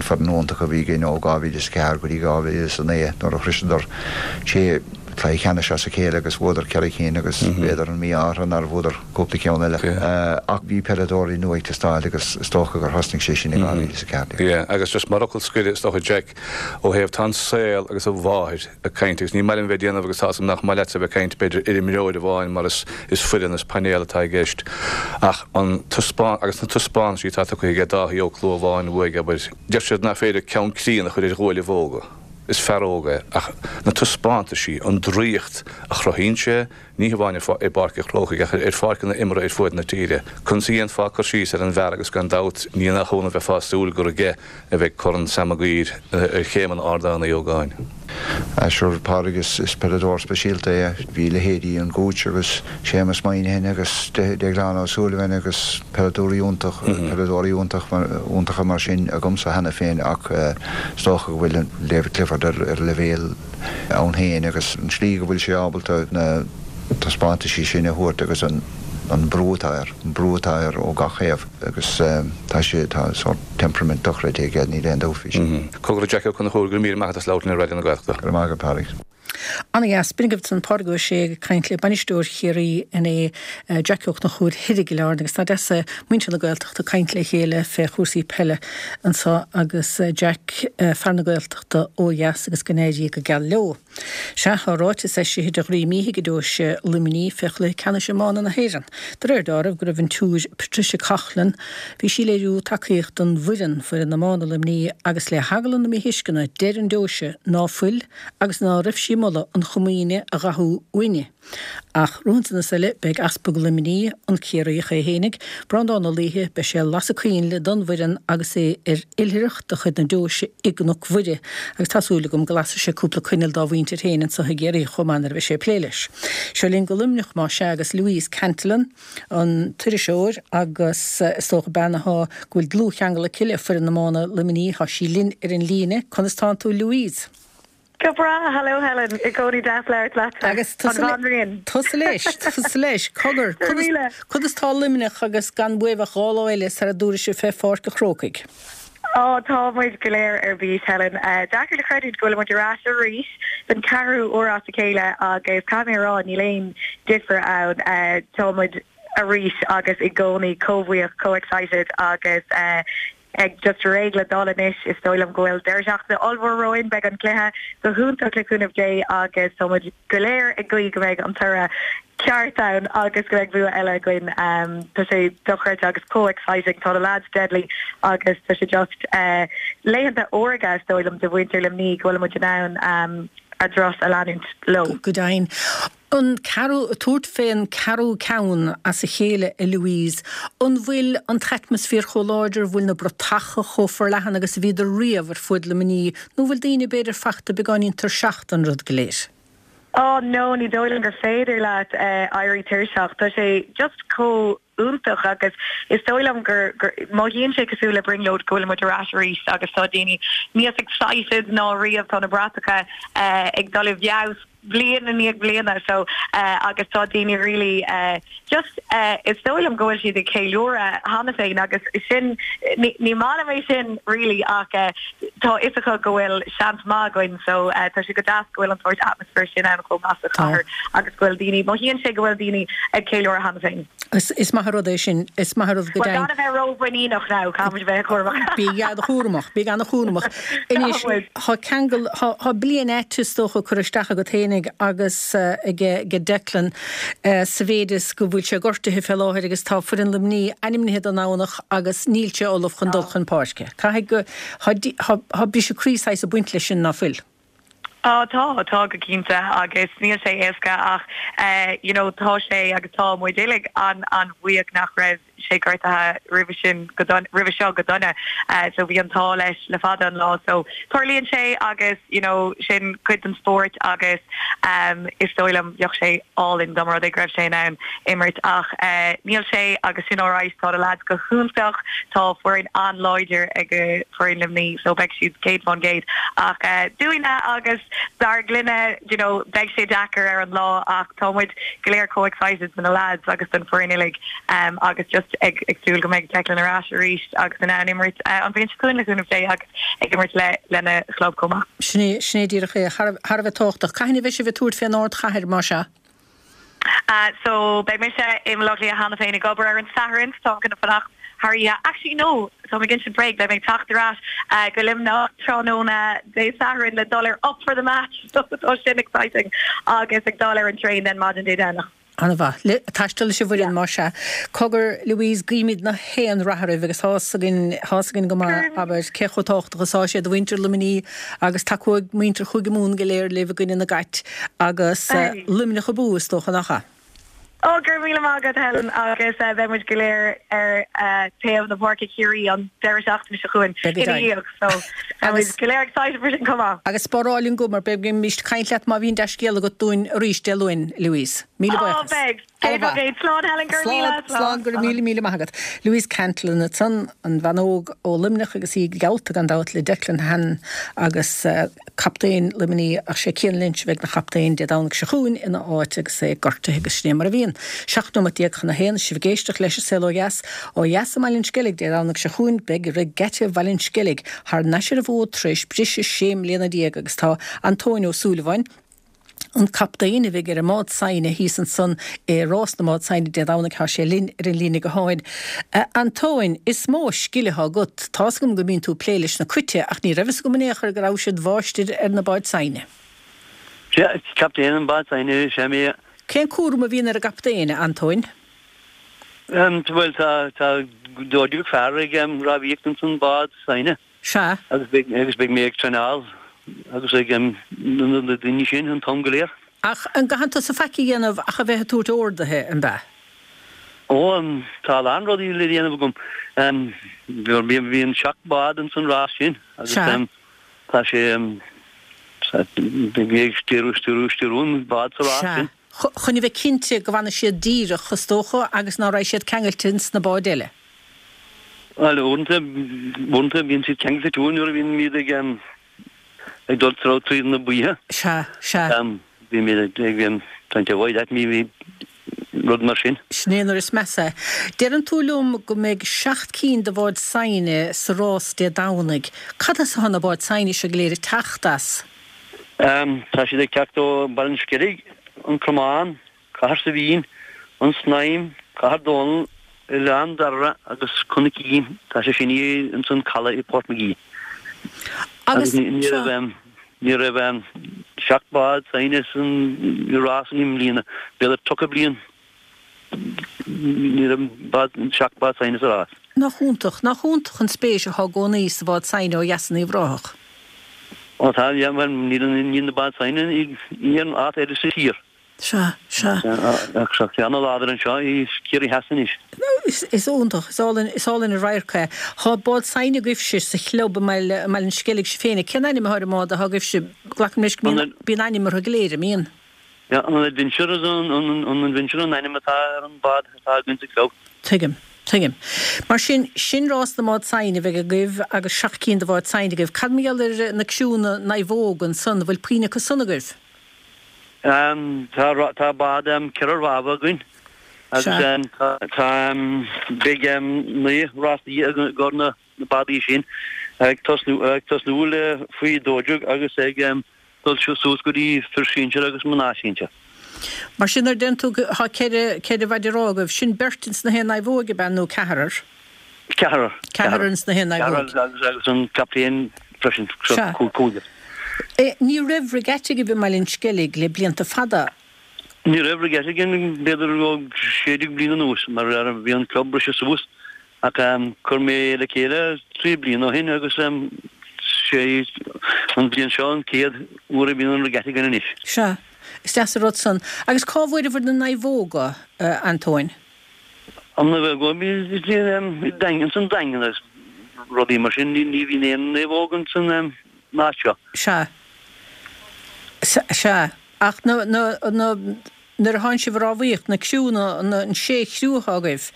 foireann iontach a bhí againn ó dhá mhíle is a ceathair go dtí dhá mhíle is a naoi nuair a shroiseadar sé chluiche ceannais as a chéile agus bhuadar ceithre cinn agus b'fhéidir an mí-ádh orthu nár bhuadar cúpla ceann eile. Ach bhí peileadóirí nua ag teastáil agus is dócha gur thosnaigh sé sin i dhá mhíle is a ceathair déag. Yeah, agus just mar fhocal scoir is dócha Jack, ó thaobh tá an saol agus a mháthair ag caint agus ní maith liom bheith ag déanamh agus tá 'fhios agam nach maith leatsa bheith ag caint b'fhéidir ar imreoir amháin mar is is foireann is painéal atá i gceist ach an taispeán agus na taispeántaisí atá tugtha aige Dáithí Ó Clúmháin uaidh abair deir siad nach féidir ceann críonna a chur ar ghuaillibh óga. Is fear óg é ach na taispeántaisí, an draíocht a chruthaíonn sé, ní hamháin i bPáirc an Chrócaigh ach ar pháirceanna imeartha ar fuaid na tíre. Conas a dhéanfá cur síos ar an bhfear agus gan dabht ní nach ionadh bheifeá ag súil gur aige a bheidh Corn Sam Maguire ar chéimeanna Ardán Uí Ógáin. Sure, Pádraig, is peileadóir speisialta é. Bhí leithéidí an Gooch agus Séamus Moynihan agus Déaglán Ó Súilleabháin agus peileadóirí iontach, peileadóirí iontach, iontacha mar sin agamsa cheana féin ach is dócha go bhfuil David Clifford ar ar leibhéal ann féin agus an tslí go bhfuil sé ábalta na taispeántaisí sin a thabhairt agus an an brú atá air, an brú atá air ó gach thaobh agus tá sé, tá sórt temperament dochreidte aige, níl aon dabht faoi sin. Cogar a Jack Ó Conchúir, go raibh míle maith agat as labhairt linn ar Raidió na Gaeltachta. Go raibh maith agat, Pádraig. Ana-dheas. B'in agaibh ansan Pádraig Ó Sé ag caint le bainisteoir Chiarraí inné, Jackie Ó Conchúir thoir i gCill Airne agus tá deas muintir na Gaeltachta ag caint le chéile fé chúrsaí peile anso agus Jack, fear na Gaeltachta ó dheas agus go n-éirí go geal leo. Sea, tá ráiteas eisithe de Dhroim Íthe ag Deoise Luimnigh fé chluiche ceannais iomána na hÉireann. De réir dealraimh go raibh an tSiúr Patricia Coughlan, bhí sí ag léiriú tacaíocht don bhfoireann, foireann iomána Luimnigh, agus le heagla na míthuisceana deir an Deoise ná fuil agus ná raibh sí ag moladh an Chomaoine a dhathú uaine. Ach rompu san is eile, beidh Easpag Luimnigh, an Ciarraíoch é fhéinig, Breandán Ó Laoithe, beidh sé ag lasadh coinnle don bhfoireann agus é ar oilithreacht de chuid na Deoise i gCnoc Mhuire agus tá súil agam go lasfaidh sé cúpla coinneal dá mhuintir féin anso i gCiarraí chomh maith nuair a bheidh sé ag plé leis. Seo linn go Luimneach más ea agus Louise Cantillon, an t-iriseoir agus is dócha bean athá go bhfuil dlúthcheangal aici le foireann iomána Luimnigh, tá sí linn ar an líne. Conas tánn tú Louise? Go breá, hello Helen, i gcónaí deas labhairt leatsa. Agus tusa tusa leis, tusa leis, cogar, conas conas tá Luimneach agus gan uaibh ach dhá lá eile sara dtabharfaidh sibh fé Pháirc an Chrócaigh? Ó, tá muid go léir ar bís, Helen. Deacair le creidiúint go bhfuil muid ar ais arís don ceathrú uair as a chéile agus caithfidh mé a rá níl aon difear ann. Tá muid arís agus i gcónaí chomh buíoch, chomh excited agus ag just réidh le dul anois. Is dóigh liom go bhfuil deireadh seachtaine ollmhór romhainn, beidh an cluiche go hiontach le cúnamh Dé agus tá muid go léir ag guí go mbeidh an toradh ceart ann agus go mbeidh bua eile againn. Tá sé dochreidte agus chomh exciting, tá na lads deadly agus tá sé just laethanta órga is dóigh liom do mhuintir Luimnigh go bhfuil muid in ann a dturas a leanúint leo. Go deimhin. An ceathrú, tabhairt fén ceathrú ceann as a chéile, a Louise, an bhfuil an t-atmaisféar chomh láidir, an bhfuil na bratacha chomh forleathan agus a bhíodar riamh ar fuaid Luimnigh, nó an bhfuil daoine b'fhéidir fachta beagáinín tuirseach den rud go léir? Oh no, ní dóigh liom gur féidir leat éirí tuirseach. Tá sé just chomh iontach agus is dóigh liom gur, gur, mothaíonn sé cosúil le brionglóid go bhfuil muid ar ais arís agus tá daoine níos excited ná riamh, tá na bratacha ag dul i bhfeabhas bliain i ndiaidh bliana so agus tá daoine really just is dóigh liom go bhfuil siad ag ceiliúradh cheana féin agus sin ní ní maith liom é sin really ach tá fhios acu go bhfuil seans maith againn so tá sé go deas go bhfuil an sórt atmosphere sin ann chomh maith sa chathair agus go bhfuil daoine mothaíonn sé go bhfuil daoine ag ceiliúradh cheana féin. Is is maith an rud é sin, is maith an rud go Bhuel, deimhin. gan a bheith rómhuiníneach now, caithfimid a bheith cúramach. Bí an-chúramach, bí an-chúramach. Anois, tá ceangal, tá tá bliain ait is dócha curtha isteach agat fhéinig agus ag ag Declan sa mhéid is go bhfuil sé gortaithe fé láthair agus tá foireann Luimnigh ainmnithe don Domhnach agus níl sé ullamh chun dul chun páirce. Caithfidh go, tá tá briseadh croí saghas ag baint leis sin, ná fuil? Á tá, tá go cinnte agus níl sé éasca ach you know tá sé agus tá muid uilig an an-bhuíoch nach raibh sé gortaithe roimhe sin go roimhe seo go dona so bhí an t-ádh leis le fada an lá so tarlaíonn sé agus you know sin cuid den spórt agus um, is dóigh liom bheadh sé álainn dá mba rud é go raibh sé in ann imirt ach uh, níl sé agus sin alright tá na lads go hiontach tá foireann an-láidir ag foireann Luimnigh so beidh siad céad faoin gcéad ach uh, dúinne agus dár gclainne you know beidh sé deacair ar an lá ach tá muid go léir chomh excited na lads agus den foireann uilig um, agus just ag ag súil go mbeidh Declan ar ais arís agus in ann imirt uh, an bhliain seo chugainn le cúnamh Dé agus ag imirt le lena chlub chomh maith. Sin sin díreach é thar a bheith tábhachtach. Cathain a bheidh sibh ag tabhairt fén ardchathair mar sin? Uh, so beidh mise i mBaile Átha Cliath cheana féin ag obair ar an Satharn tá gonna fanacht thar oíche actually no tá mé ag break beidh mé ag teacht ar ais uh, go Luimneach tráthnóna Dé Sathairn le dul ar up for the match so tá sin exciting agus ag dul ar an train den maidin Dé Domhnaigh. An-mhaith le taisteal leis an bhfoireann mar sin. Cogar Louise guímid na haon rath oraibh agus tá a fhios againn tá a fhios againn go maith abair cé chomh tábhachtach is atá sé do mhuintir Luimnigh agus tacóidh muintir Chúige Mumhan go léir libh i gcoinne na gCat agus Luimneach abú is dócha nach ea. Ó gur míle maith Helen agus uh, beidh muid go léir ar uh, taobh na páirce Ciarraí an deireadh seachtaine seo chugainn so agus go léir excited for sin come Agus spáráil go mar beimid ag caint leat má bhíonn dea-scéal agat dúinn arís Dé Luain Louise. Míle buíochas. Slán Helen gur Slán go míle míle maith agat. Louise Cantlin ansan an bhean óg ó Luimneach agus í geallta gan dabht le Declan Hannon agus uh, captaen Luimnigh ach sé Cian Lynch a bheidh ina chaptaen Dé Domhnaigh seo chugainn ina áit agus é gortaithe agus sin mar a bhíonn. Seacht nóiméad déag chun a haon sibh ag éisteacht leis an Saol Ó Dheas ó dheas i mBaile an Sceilg Dé Domhnaigh seo chugainn beidh Regatta Bhaile an Sceilg thar n-ais ar an bhfód tar éis briseadh sé mbliana déag agus tá Antóin Ó Súilleabháin an captaen a bheidh ar an mbád saighne thíos ansan i rás na mbád saighne Dé Domhnaigh tá sé linn ar an líne gutháin. Uh, Antóin is mó scil atá agat tá a fhios agam go mbíonn tú ag plé leis na cait ach ní raibh a fhios agam in aon chor go raibh siad mháistir ar na báid saighne. Captaen an bád saighne sé mé. Cén cúram a bhíonn ar an gcaptaen Antóin? Um, well tá tá dó dhéag fear ag um, rámhaíocht san bád saighne. Sea. Agus beidh agus beidh mé ag traenáil agus ag um, na daoine sin an t-am go léir. Ach an gcaitheann tusa faic a dhéanamh ach a bheith ag tabhairt orduithe an ea? Ó um, tá a lán rudaí le déanamh agam. Um, bhí bhíonn seacht bád in san rás sin agus um, tá sé um, bhí ag stiúradh stiúradh stiúradh an bád sa rás sin. Chun a bheith cinnte go bhfanfaidh siad díreach is dócha agus nach raibh siad ceangailte sna báid eile. Well uaireanta uaireanta bíonn siad ceangailte tú nuair a bhíonn muid ag um, ag dul tro tríd na baotha. Sea sea. Um, bhí mé ag um, trying to avoid that mi bhí rud mar sin. Sin é nuair is measa. Deireann tú liom go mbeidh seacht cinn de bháid saighne sa rás Dé Domhnaigh. Cad as atá na báid saighne seo go léir ag teacht as? Um, tá siad ag teacht ó Bhaile an Sceilg, an Cromán, Cathair Saibhín, an Snaidhm, Cathair Dónall, Oileán Dara agus Cnoc Tá sé sin in san caladh i Port McGee. Agus ní raibh ní raibh seacht bád saighne san rás i mbliana, b'fhéidir tríocha bliain ní raibh bád seacht bád saighne sa rás. Nach iontach, nach iontach an spéis atá i gcónaí sa bhád saighne ó dheas in Uíbh Ráthach. Ó tá well níl níl na báid saighne in aon áit eile sa tír. Sea, sea. Ach seo ceann láidir anseo i Ciarraí Theas anois. Is is iontach, is álainn is álainn an radharc é. Tá bád saighne agaibhse sa chlub i mBaile i mBaile an Sceilg sibh féin. Cén ainm atá ar an mbád atá agaibhse glacaim leis go mbíonn bíonn ainm orthu go léir, an mbíonn? Ja, an Adventure an an an Adventure an ainm atá ar an bád atá againn sa chlub. Tuigim. Tuigim. Mar sin sin rás na mbád saighne a bheidh agaibh agus seacht cinn de bháid saighne agaibh. Cad mar gheall ar na criúnna naomhóg ansan, bhfuil puinn acu san agaibh? Um, tá tá bád um, ceithre rámha againn agus um, tá tá um, beidh um, naoi rásaí ag na na bádaí sin ag tosnú ag tosnú le faoi dó dhéag agus ag um, dul suas go dtí fir sinsir agus mná sinsir. Mar sin ar den tú tá ceithre ceithre mhaide rámha agaibh, sin beirt ins na haon naomhóg ab ea nó ceathrar? Ceathrar. Ceathrar ins na haon naomhóg. Ceathrar agus agus an captaen freisin cúigear. Ní raibh regatta agaibh i mBaile an Sceilg le blianta fada. Ní raibh regatta againn b'fhéidir ó sé déag bliain anuas mar bhí an club briste suas ach chuir mé le chéile trí bliana ó shin agus sé an bhliain seo an chéad uair a bhíonn an regatta againn anois. Sea, is deas an rud san. Agus cá bhfuair na naomhóga, Antóin? An naomhóg, bhí Daingean san Daingean agus rudaí mar sin, ní bhíonn aon naomhóg ins an áit seo. Sea. Sea. Ach na, na, na, nuair a tánn sibh ag rámhaíocht, na criúnna, na, an sé chriú atá agaibh,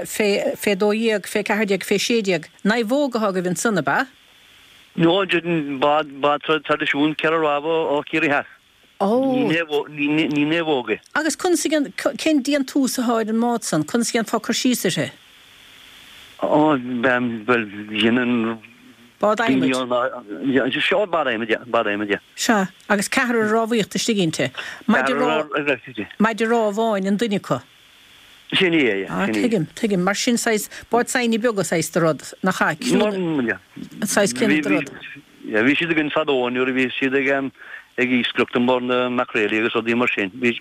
fé, fé dó dhéag, fé ceathair déag, fé sé déag, naomhóg atá agaibh ansan, ab ea? No, bád, bád traidisiún ceithre rámha ó Chiarraí Theas. Ó. Ní, ní naomhóg é. Agus conas a dhéan, cén déantús atá ar an mbád san? Conas a dhéanfá cur síos uirthi? Ó, bhuel, dhéanann Bád adhmaid. Seo bád adhmaid, yeah, bád adhmaid, yeah. Sea, agus ceathrar ag rámhaíocht istigh inti. Maide maide rámha amháin an duine acu. Sin é, yeah. Ah, tuigim, tuigim. Mar sin saghas bád saighne beaga saghas de rud, nach ea? An saghas céanna de rud. Yeah, bhí siad againn fadó nuair a bhí siad ag ag iascaireacht i mbarr na maicréilí agus rudaí mar sin. Bhí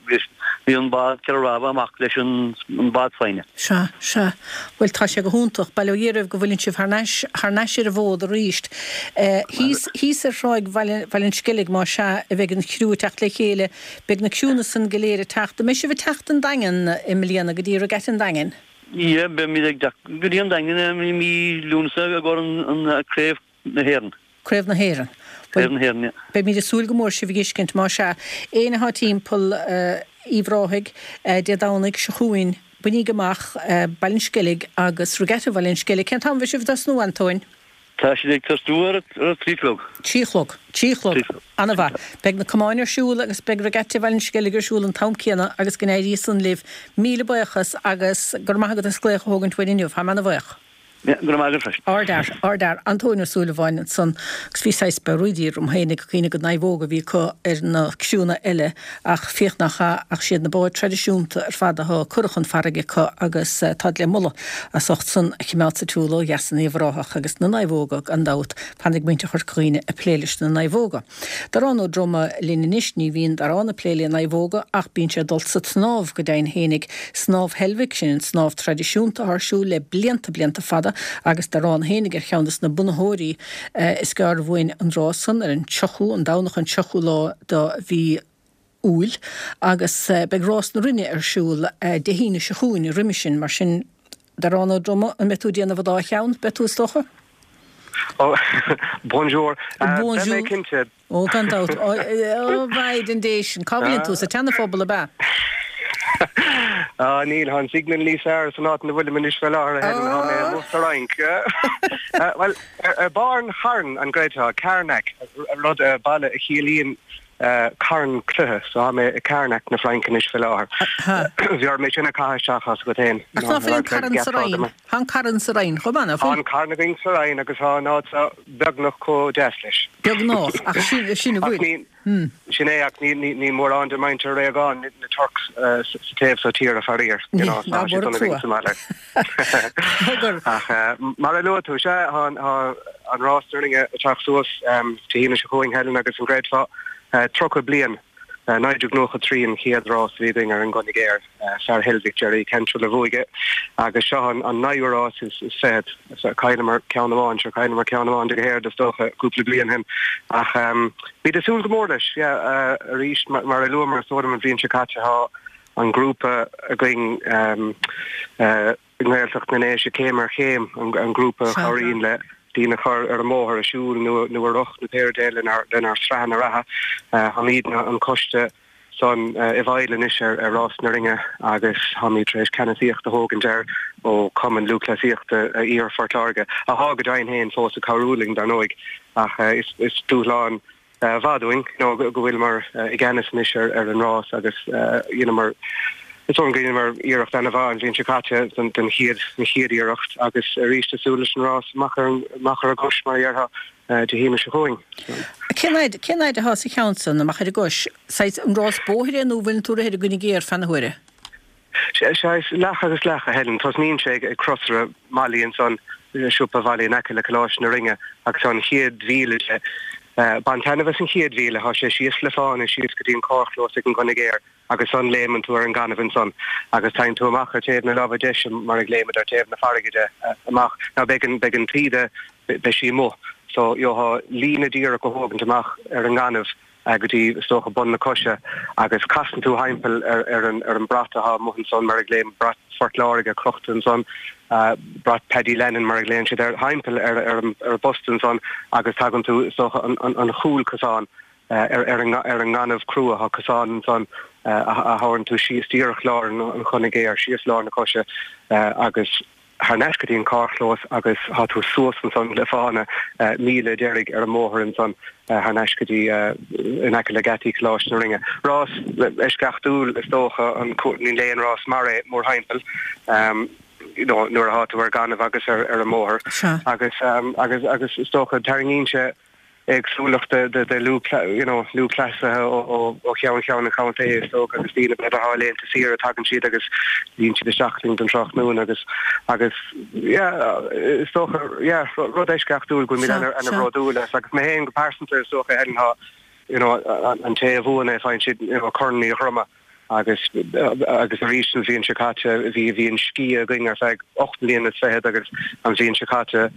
bhí an bád ceithre rámha amach leis an an bád saighne. Sea, sea. Bhuel, tá sé go hiontach. Bail ó Dhia oraibh go bhfuileann sibh thar n-ais, thar n-ais ar an bhfód arís. Thíos, thíos ar thráigh Bhaile, Bhaile an Sceilg, más ea, a bheidh an criú ag teacht le chéile. Beidh na criúnna san go léir ag teacht. An mbeidh sibh ag teacht an Daingean i mbliana, go dtí Regatta an Daingin? Yeah, beimid ag teacht go dtí an Daingean i mí Lúnasa i gcomhair an, an Craobh na hÉireann. Craobh na hÉireann. Craobh na hÉireann, yeah. Beimid ag súil go mór sibh a fheiscint, más ea. Éinne atá timpeall Uíbh Ráthaigh Dé Domhnaigh seo chugainn, bainíg amach Baile an Sceilg agus Regatta Bhaile an Sceilg. Cén t-am a bheidh sibh ag tosnú, Antóin? Tá siad ag tosnú ar a trí chlog. Trí chlog. Trí chlog. Ana-mhaith. Beidh na camáin ar siúl agus beidh Regatta Bhaile an Sceilg ar siúl an t-am céanna agus go n-éirí san libh. Míle buíochas agus go raibh maith agat as glaoch a thógaint uainn inniu. Táim ana-bhuíoch. Go raibh maith agat freisin. Ardfhear, ardfhear, Antóin Ó Súilleabháin ansan agus bhí saghas barraídí orm féinig ag cuimhneamh gur naomhóga a bhí acu ar na criúnna eile ach féach nach ea ach siad na báid traidisiúnta ar fad atá curtha chun farraige acu agus táid le moladh as ucht san a chimeád sa tsiúl ó dheas in Uíbh Ráthach agus na naomhóga gan dabht, fanfaidh muintir Chorca Dhuibhne ag plé leis na naomhóga. Darán Ó Droma linn anois, ní bhíonn Darán ag plé le naomhóga ach bíonn sé ag dul sa tsnámh go deimhin fhéinig, Snámh Heilbhic, sin an snámh traidisiúnta atá ar siúl le blianta blianta fada agus Darán fhéinig ar cheann des na bunaitheoirí. Is gearr uainn an rás san ar an tríochú, an Domhnach an tríochú lá de mhí Iúil agus beidh Rás na Rinne ar siúl Dé hAoine seo chugainn roimhe sin, mar sin Darán Ó Droma, an mbeidh tú ag déanamh an dá cheann? Beidh tú is dócha? Oh, bonjour. Beidh mé cinnte. Ó, gan dabht. Ó, mhaighdean Dé sin. Cá bhfuileann tú? Sa tSeana-Phobal, ab ea? Á, níl, tá an signal níos fearr san áit ina bhfuilim anois fé láthair, a Helen, tá mé amuigh sa Fhrainc. Bhuel, ar barr an chairn, an gcreidfeá, Carnac, rud, baile a chiallaíonn carn cloiche, so tá mé i Carnac na Fraince anois fé láthair. Bhí orm é sin a chaitheamh isteach as agat féin. Ach ná fuil an carn sa Rinn? Tá an carn sa Rinn chomh maith, ná fuil? Tá an carn againn sa Rinn agus tá an áit seo beagnach chomh deas leis. Beagnach, ach sin, sin a bhfuil. Sin é, ach ní mórán de mhuintir Réagáin, na Turks, sa taobh so tíre, faraor. You know, tá sé dona againn sa mbaile. Ach mar a luaigh tú, sea, tá an Rás na Rinne ag teacht suas Dé hAoine seo chugainn, Helen, agus an gcreidfeá, tríocha bliain, naoi déag nócha trí an chéad rás a bhí againn ar an gConn Géar, fear Heilbhic, Jerry Cantrell a bhuaigh é, agus seo an naoú rás is fichead. Chailleamar ceann amháin, sure chailleamar ceann amháin de go héard is dócha cúpla bliain ó shin ach bhí ag súil go mór leis, yeah, arís mar a luamar is dóigh liom an bhliain seo caite tá an grúpa againn i nGaeltacht na nDéise Céim ar Chéim, an grúpa a chabhraíonn le daoine a chur ar an mbóthar, ag siúl nó ar rothar nó pé rud é lenár sraitheanna reatha. Táimidne an coiste san i bhfeighil anois ar Rás na Rinne agus táimid tar éis ceannasaíocht a thógaint air ó Chumann Lúthchleasaíochta Iarthar Phort Láirge, athá go deimhin féin fós ag cabhrú linn dar ndóigh ach is dúshlán mhaith dúinn you know go bhfuileamar i gceannas anois ar an rás agus dheineamar is dóigh liom go dheineamar iarracht ana-mhaith an bhliain seo caite den chéad an chéad iarracht agus arís ag súil leis an rás amach ar amach ar an gcois mar a déarfá Dé hAoine seo chugainn. Cén fhaid cén fhaid atá sa cheann san amach ar an gcois? Saghas an rás bóthair é nó bhfuileann tú ag rith ar an gConn Géar feadh na huaire? Sea, is leath agus leath, a Helen. Tosnaíonn sé ag crosaire Mholly ansan, siopa Mholly in aice le Coláiste na Rinne agus tá an chéad mhíle de. Bain taitneamh as an chéad mhíle, tá sé síos le fána síos go dtí an carrchlós ag an gConn Géar agus ansan léimeann tú ar an ngaineamh ansan agus tagann tú amach ar taobh na láimhe deise mar ag léimeadh ar taobh na farraige de amach. Now beidh an, beidh an taoide, beidh sí amuigh so gheofá líne díreach a thógaint amach ar an ngaineamh go dtí is dócha bun na coise agus casann tú thimpeall ar ar an ar an brat atá amuigh ansan mar a ghlaonn brat Phort Láirge crochta ansan brat Paddy Lennon mar a ghlaonn siad air thimpeall ar ar an ar an bposta ansan agus tagann tú is dócha an an an chúlchosán ar ar an ar an ngaineamh crua tá cosán ansan a thabharann tú síos díreach lár an Chonnaidh Ghéar síos lár na coise agus thar n-ais go dtí an carrchlós agus tá tú suas ansan le fána míle deiridh ar an mbóthar ansan thar n-ais go dtí in aice le geataí Choláiste na Rinne. Rás eisceachtúil is dócha an níl aon rás mar é mórthimpeall you know nuair atá tú ar gaineamh agus ar ar an mbóthar agus agus agus is dócha tarraingíonn sé éagsúlacht de de de you know lúthchleasaithe ó ó cheann ceann an chontae is dócha agus daoine b'fhéidir atá laethanta saoire tagann siad agus luíonn siad isteach linn don tráthnóna agus agus yeah is dócha yeah rud eisceachtúil go bhfuil ana ana bhródúil as agus mé féin go pearsanta is dócha Helen tá you know an té a bhuann é faigheann siad you know Corn Uí Dhroma agus agus arís an bhliain seo caite bhí bhí an sciath againn ar feadh ocht mbliana is fichead agus an bhliain seo caite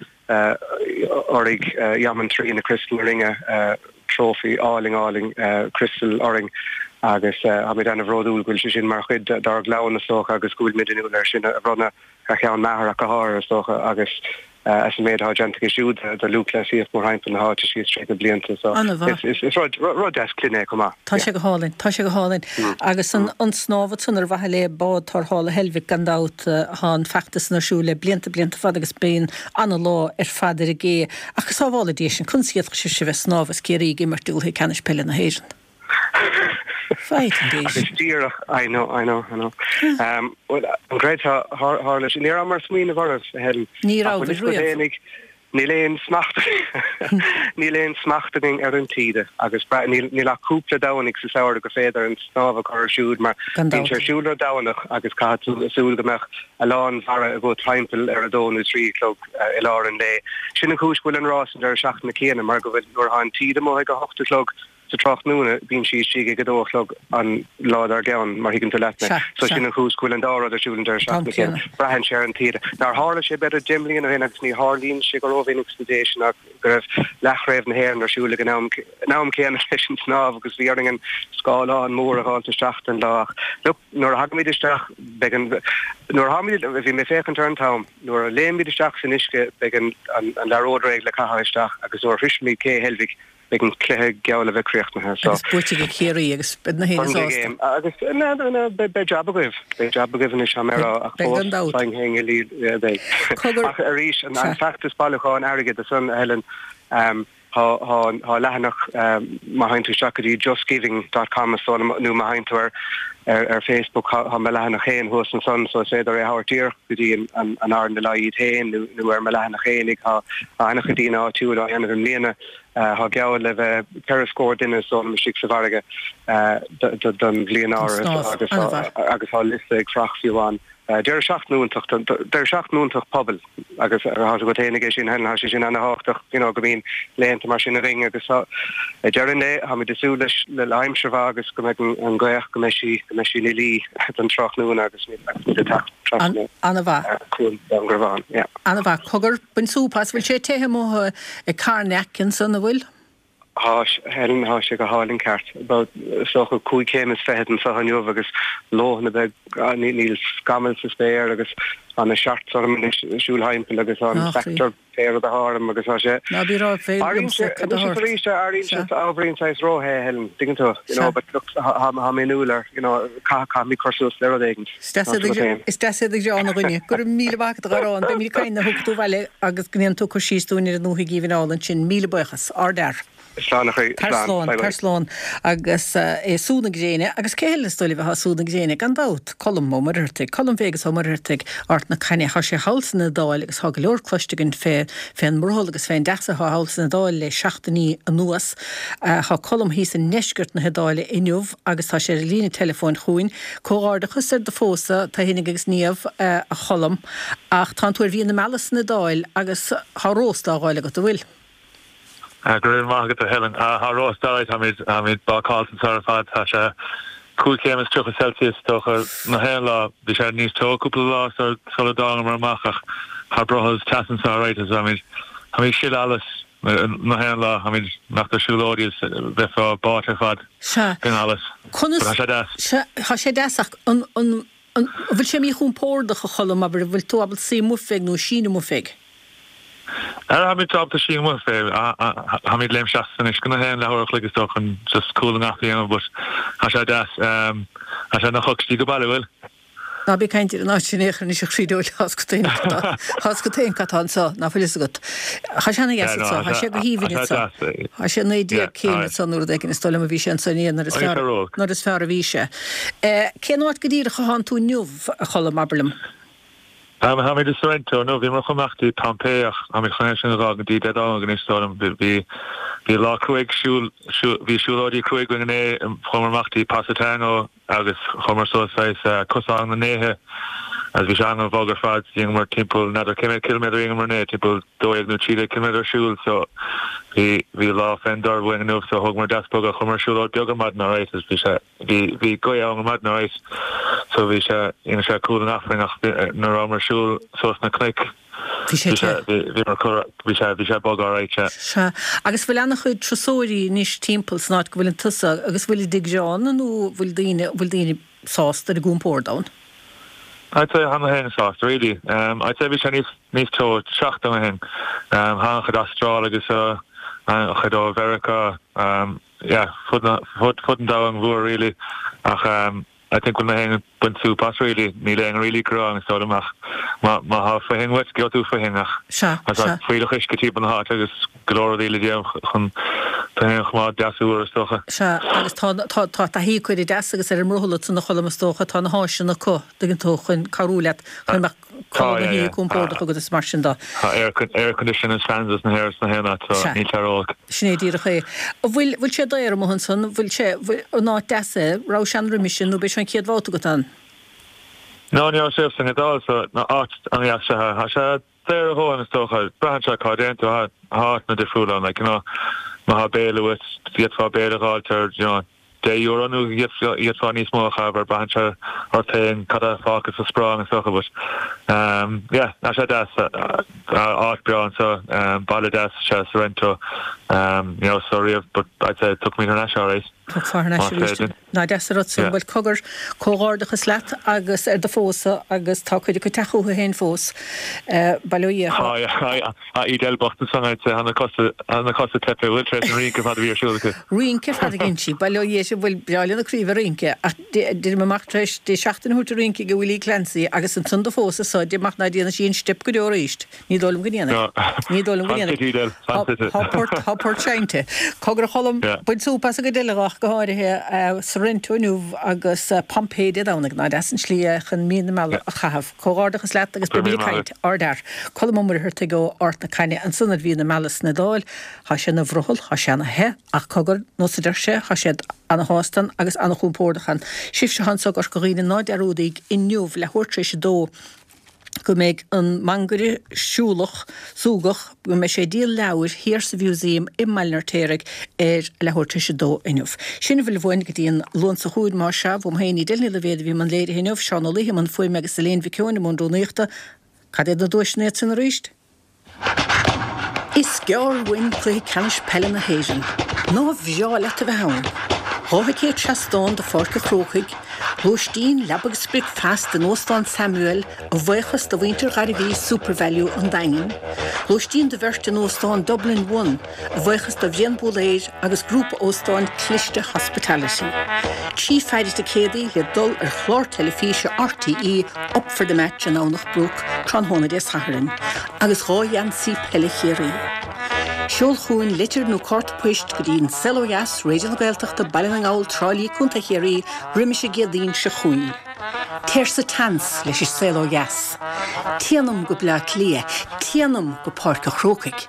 oraigh Yaman trí na Crystal na Rinne trófaí álainn álainn Crystal orainn agus táimid ana-bhródúil go bhfuil sé sin mar chuid dár gclann is dócha agus go bhfuil muid inniúil air sin a bhronnadh ar cheann m'athar ach go háirithe is dócha agus as an méid atá déanta aige siúd do lúthchleasaíocht mórthimpeall na háite síos tríd na blianta so is is rud rud deas clainne é chomh maith. Tá sé go hálainn, tá sé go hálainn. Agus an an snámh ansan ar mhaithe le bád tarrthála Heilbhic gan dabht tá an feachtas san ar siúl le blianta blianta fada agus bíonn ana-lá ar fad ar an gcé. Ach go sábhála Dia sinn, conas a d'fhéadfadh sibhse bheith ag snámh is Ciarraí ag imirt i gcluiche ceannais peile na hÉireann? Fighting Agus díreach I know, I know, I know. Um, well, an gcreidfeá tharla sé ní rabhamar ag smaoineamh oraibh Helen. Ní raibh riamh. Níl aon smacht níl aon smacht againn ar an taoide agus níl níl ach cúpla Domhnach sa samhradh go féidir an snámh a chur ar siúl mar bíonn sé ar siúl ar Domhnach agus caithfidh tú súil go mbeadh a lán mara agat timpeall ar a dó nó trí a chlog i lár an lae. Sin an chúis go bhfuil an rás an deireadh seachtaine céanna mar go bhfuil nuair atá an taoide amuigh ag a hocht a chlog sa tráthnóna bíonn sí istigh ag a dó a chlog an lá dár gcionn mar thuigeann tú leat mé. So sin an chúis go bhfuil an dá rud ar siúl an deireadh seachtaine céanna. Braitheann sé ar an taoide. Nár tharla sé b'fhéidir deich mbliana ó shin agus ní tharlaíonn sé go rómhinic sna déise ach go raibh leathchraobh na hÉireann ar siúl ag an am an am céanna leis an snámh agus bhí orainn an scáileán mór a fháilt isteach don lá ach look nuair a thagaimid isteach beidh an nuair a tháimid bhí mé féachaint ar an t-am nuair a léimid isteach san uisce beidh an an an liathróid réidh le caitheamh isteach agus nuair a shroisimid cé Heilbhic beidh an cluiche geall le bheith críochnaithe. So Agus buaite ag Ciarraí agus beidh na héinne sásta. Agus na na beidh jab agaibh beidh jab agaibh anois tá mé ag rá ach Beidh gan dabht. beidh. Ach arís an an feachtas bailiúcháin airgid ansan Helen um, tá tá tá leathanach má théann tú isteach go dtí justgiving dot com is dóigh liom nó má théann tú ar ar ar Facebook tá mo leathanach féin thuas ansan so is féidir é a thabhairt díreach go dtí an an an RNLI iad féin nó nó ar mo leathanach féinig tá tá an-chuid daoine áitiúil á dhéanamh i mbliana tá geall le bheith ceithre scór duine is dóigh liom istigh sa bhfarraige don bhliain áirithe agus agus tá liosta ag fuireach fiú amháin. Deireadh seachtaine iontach deireadh seachtaine iontach pobail agus tá agat féin aige sin Helen tá sé sin ana-thábhachtach you know go mbíonn laethanta mar sin againn agus tá ag deireadh an lae táimid ag súil leis le le aimsir mhaith agus go mbeidh an an ghaoth go mbeidh sí go mbeidh sí ina luí don tráthnóna agus agus muid ag teacht trasna An-mhaith. Cuan Dún Garbhán yeah. An-mhaith. Cogar, bain súp as, bhfuil sé te amuigh ag Carnac ansan, an bhfuil? Tá, Helen, tá sé go hálainn ceart. About is dócha cúig chéim is fichead anseo inniu agus leoithne beag, níl scamall sa spéir agus tá na shorts orm anois ag siúl thimpeall agus tá an spectre pé rud atá orm agus tá sé Ná bí rá fé Airíonn sé anois is arís airíonn sé ábhairín saghas róthe, Helen, tuigeann tú, you know, but look, tá mé inniúil air, you know, caithfidh mé cur suas le rud éigin. Is deas iad ag greann a dhuine. Go raibh míle maith agat a Dharán, beimid ag caint nuair a thiocfaidh tú abhaile agus go ndéanfaidh tú cur síos dúinn ar an ndúthaigh aoibhinn álainn sin. Míle buíochas. Ardfhear. Slán a chroí. Tar slán, tar slán. Agus é sú na gréine, agus cé eile is dóigh libh atá sú na gréine? Gan dabht, Colm Ó Muircheartaigh. Colm Bhéigeas Ó Muircheartaigh, Ard na Caithne. Tá sé thall san Iodáil agus tá go leor cloiste againn fé fén mbrothall agus fén dteas atá thall san Iodáil le seachtainí anuas. Tá Colm thíos i ndeisceart na hIodáile inniu agus tá sé ar an líne teileafóin chugainn. Comhghairdeachas ar do phósadh, tá Fhéinig agus Niamh, a Choilm, ach tánn tú ar mhí na meala san Iodáil agus tá rósta á dh'fháil agat, an bhfuil? Go raibh maith agat a Helen. Tá rósta á táimid táimid bácáilte anseo ar fad. Tá sé cúig chéim is tríocha Celsius is dócha nach aon lá. Bhí sé níos teo cúpla lá sula dtángamar amach ach tá brothall is teas anseo alright agus táimid táimid ag sileadh allas Na haon lá, táimid imeacht ar siúlóidí is bheifeá báite ar fad den allas. Conas, Tá sé deas. Sea, tá sé deas ach an, an, an, an bhfuil sé míchompordach a Choilm, abair, an bhfuil tú ábalta suí amuigh fé nó síneadh amuigh fé? Táimid ábalta síneadh amuigh fé, táimid léim isteach san uisce na haon leathuair a chloig is dócha chun just cúl an a dhéanamh but tá sé deas. Tá sé ina choicstí go baile, bhfuil? Ná bí ag caint ar an áit sin aon chor anois a chroí dóil tá 's agat féin cad tá anso, ná fuil fhios agat. Tá sé ana dheas anso, tá sé go haoibhinn anso. Tá sé naoi déag céim anso nó rud éigin is dóigh liom a bhí sé anso inné nuair is fearr nuair is fearr a bhí sé. Cén áit go díreach a thánn tú inniu, a Choilm, abair liom? Táimid i Sorrento inniu, bhíomar chun imeacht dtí Pompeii ach táimid chun é sin a dh'fhágaint go dtí Dé Domhnaigh anois is dóigh liom. Bhí bhí lá cruaidh siúl bhí siúlóidí cruaidh againn inné, chuamar amach dtí Positano agus chuamar suas saghas cosán na ndéithe agus bhí sé an-bhog ar fad, dheineamar timpeall n'fheadar cé mhéad ciliméadar a dheineamar inné, timpeall dó dhéag nó trí déag ciliméadar siúil so bhí bhí lá fén dtor uainn inniu so thógamar deas bog chuamar siúlóid beag ar maidin alright agus bhí sé bhí bhí gaoth ann ar maidin alright so bhí sé dhein sé cúl an achrainn ach nuair a rabhamar ag siúl suas na cnoic Bhí sé te. Bhí bhí bhí sé bhí sé bog alright sea. Sea. Agus bhfuil ana-chuid turasóirí anois timpeall san áit go bhfuileann tusa agus bhfuil ag greann nó bhfuil daoine bhfuil daoine sásta ar a gcompord ann? I'd say tá na héinne sásta really. Um, I'd say bhí sé níos níos teo seachtain ó shin. Um, tháinig an-chuid Astráil agus uh, an-chuid ó Mheiriceá um, yeah, fud na fud fud an domhain mhór really ach um, I think bhfuil na héinne ag baint súp as really níl aon really gearán is dóigh liom ach má má tá faoithin uait gheobhaidh tú faoithin ach Sea, tá sea. fuílleach uisce timpeall na háite agus go leor rudaí le déanamh chun tú féin a choimeád deas úr is dócha. Sea, agus tá tá tá taithí acu ar an dteas agus ar an mbrothall ansan a Choilm is dócha, tá na háiseanna acu, tuigeann tú, chun cabhrú leat chun mbeadh Tá, codladh na yeah, hoíche yeah. compordach agat is mar sin de. Tá air air condition is fans is na hair is na haon áit so Sea. níl sé ró-olc. Sin é díreach é. An bhfuil bhfuil sé daor amuigh ansan, bhfuil sé bhfuil an áit deas é, raibh sé ann roimis sin nó b'é seo an chéad bhabhta agat ann? No, ní raibh sé san Iodáil so ná áit an-dheas sea. Tá sé daor a dhóthain is dócha. Braitheann sé cá dtéann tú, tá áiteanna difriúla ann like you know má tá béile uait d'fhéadfá béile a dh'fháilt ar you know deich euro nó d'fhéadfá níos mó a chaitheamh air braitheann sé ort féin cad a fágfas sa sparán is dócha but um yeah tá sé deas áit breá anseo um baile deas sea Sorrento um you know so riamh but I'd say tiocfaimid thar n-ais alright. Tiocfá thar n-ais Más arís. féidir. Ná deas an rud san. Yeah. Bhuel cogar comhghairdeachas leat agus ar do phósadh agus tá cuid acu ag teacht chucu féin fós. Bail ó Dhia. Tá yeah tá Edel bocht ansan I'd say tá na cosa tá na cosa teipthe bhfuil tar éis an rince ar fad a bhí ar siúl acu. Rince ar fad a dhein sí. Bail ó Dhia sin bhfuil breá lena croí bheith ag rince ach deirim amach tar éis di seachtain a thabhairt ag rince ag Willie Clancy agus ansan do phósadh so deirim amach ná déanfaidh sí an steip go deo arís. Ní dóigh liom go ndéanfaidh. Ní dóigh liom go ndéanfaidh. Fan city Edel, fan city. Tá port tá port seinnte. Cogar a Choilm Yeah. bain súp as an gcuid eile ach go háirithe Sorrento inniu agus Pompeii Dé Domhnaigh. Ná deas an slí é chun mí na meala a chaitheamh. Comhghairdeachas leat agus Go raibh beimid míle ag maith caint. Ardfhear. Colm Ó Muircheartaigh ó Ard na Caithne ansan ar mhí na meala san Iodáil. Tá sé ina bhrothall, tá sé ana the ach cogar nós a deir sé, tá siad ana-shásta ann agus ana-chompordach ann. Sibhse atá anso i gCorca Dhuibhne ná dearúdaíg inniu leathuair tar éis a dó go mbeidh an mangaire siúlach súgach, go mbeidh sé ag díol leabhair thiar sa Mhúsaem i mBaile an Fheirtéaraigh ar leathuair tar éis a dó inniu. Sin a bhfuil uainn go dtí an Luan seo chugainn, más ea, uaim féin Edel Ní Loibhéad a bhí i mbun léirithe inniu, Seán Ó Laoithe i mbun fuaime agus Elaine Mhic Eoin i mbun rúnaíochta. Cad iad na duaiseanna iad sin arís? Is gearr uainn cluiche ceannais peile na hÉireann. Nár bhreá leat a bheith ann? Dhá thicéad seastáin do Pháirc an Chrócaigh, lóistín, leaba agus bricfeasta in Óstán Samuel a bhuíochas do mhuintir Ghairbhí Supervalu an Daingin, lóistín do bheirt in Óstán Dublin One a bhuíochas do Bhrian Bólaeir agus grúpa óstáin Cliste Hospitality. Trí pheidhre ticéadaí le dul ar chlár teilifíse RTÉ Up for the Match i nDomhnach Broc tráthnóna Dé Sathairn agus dhá gheansaí peile Chiarraí. Seol chugainn litir nó cárta poist go dtí An Saol Ó Dheas, Raidió na Gaeltachta, Baile na nGall, Trá Lí, Contae Chiarraí, roimis an gCéadaoin seo chugainn. Téir sa tseans leis An Saol Ó Dheas. Téanam go Bleá Cliath, téanam go Páirc an Chrócaigh.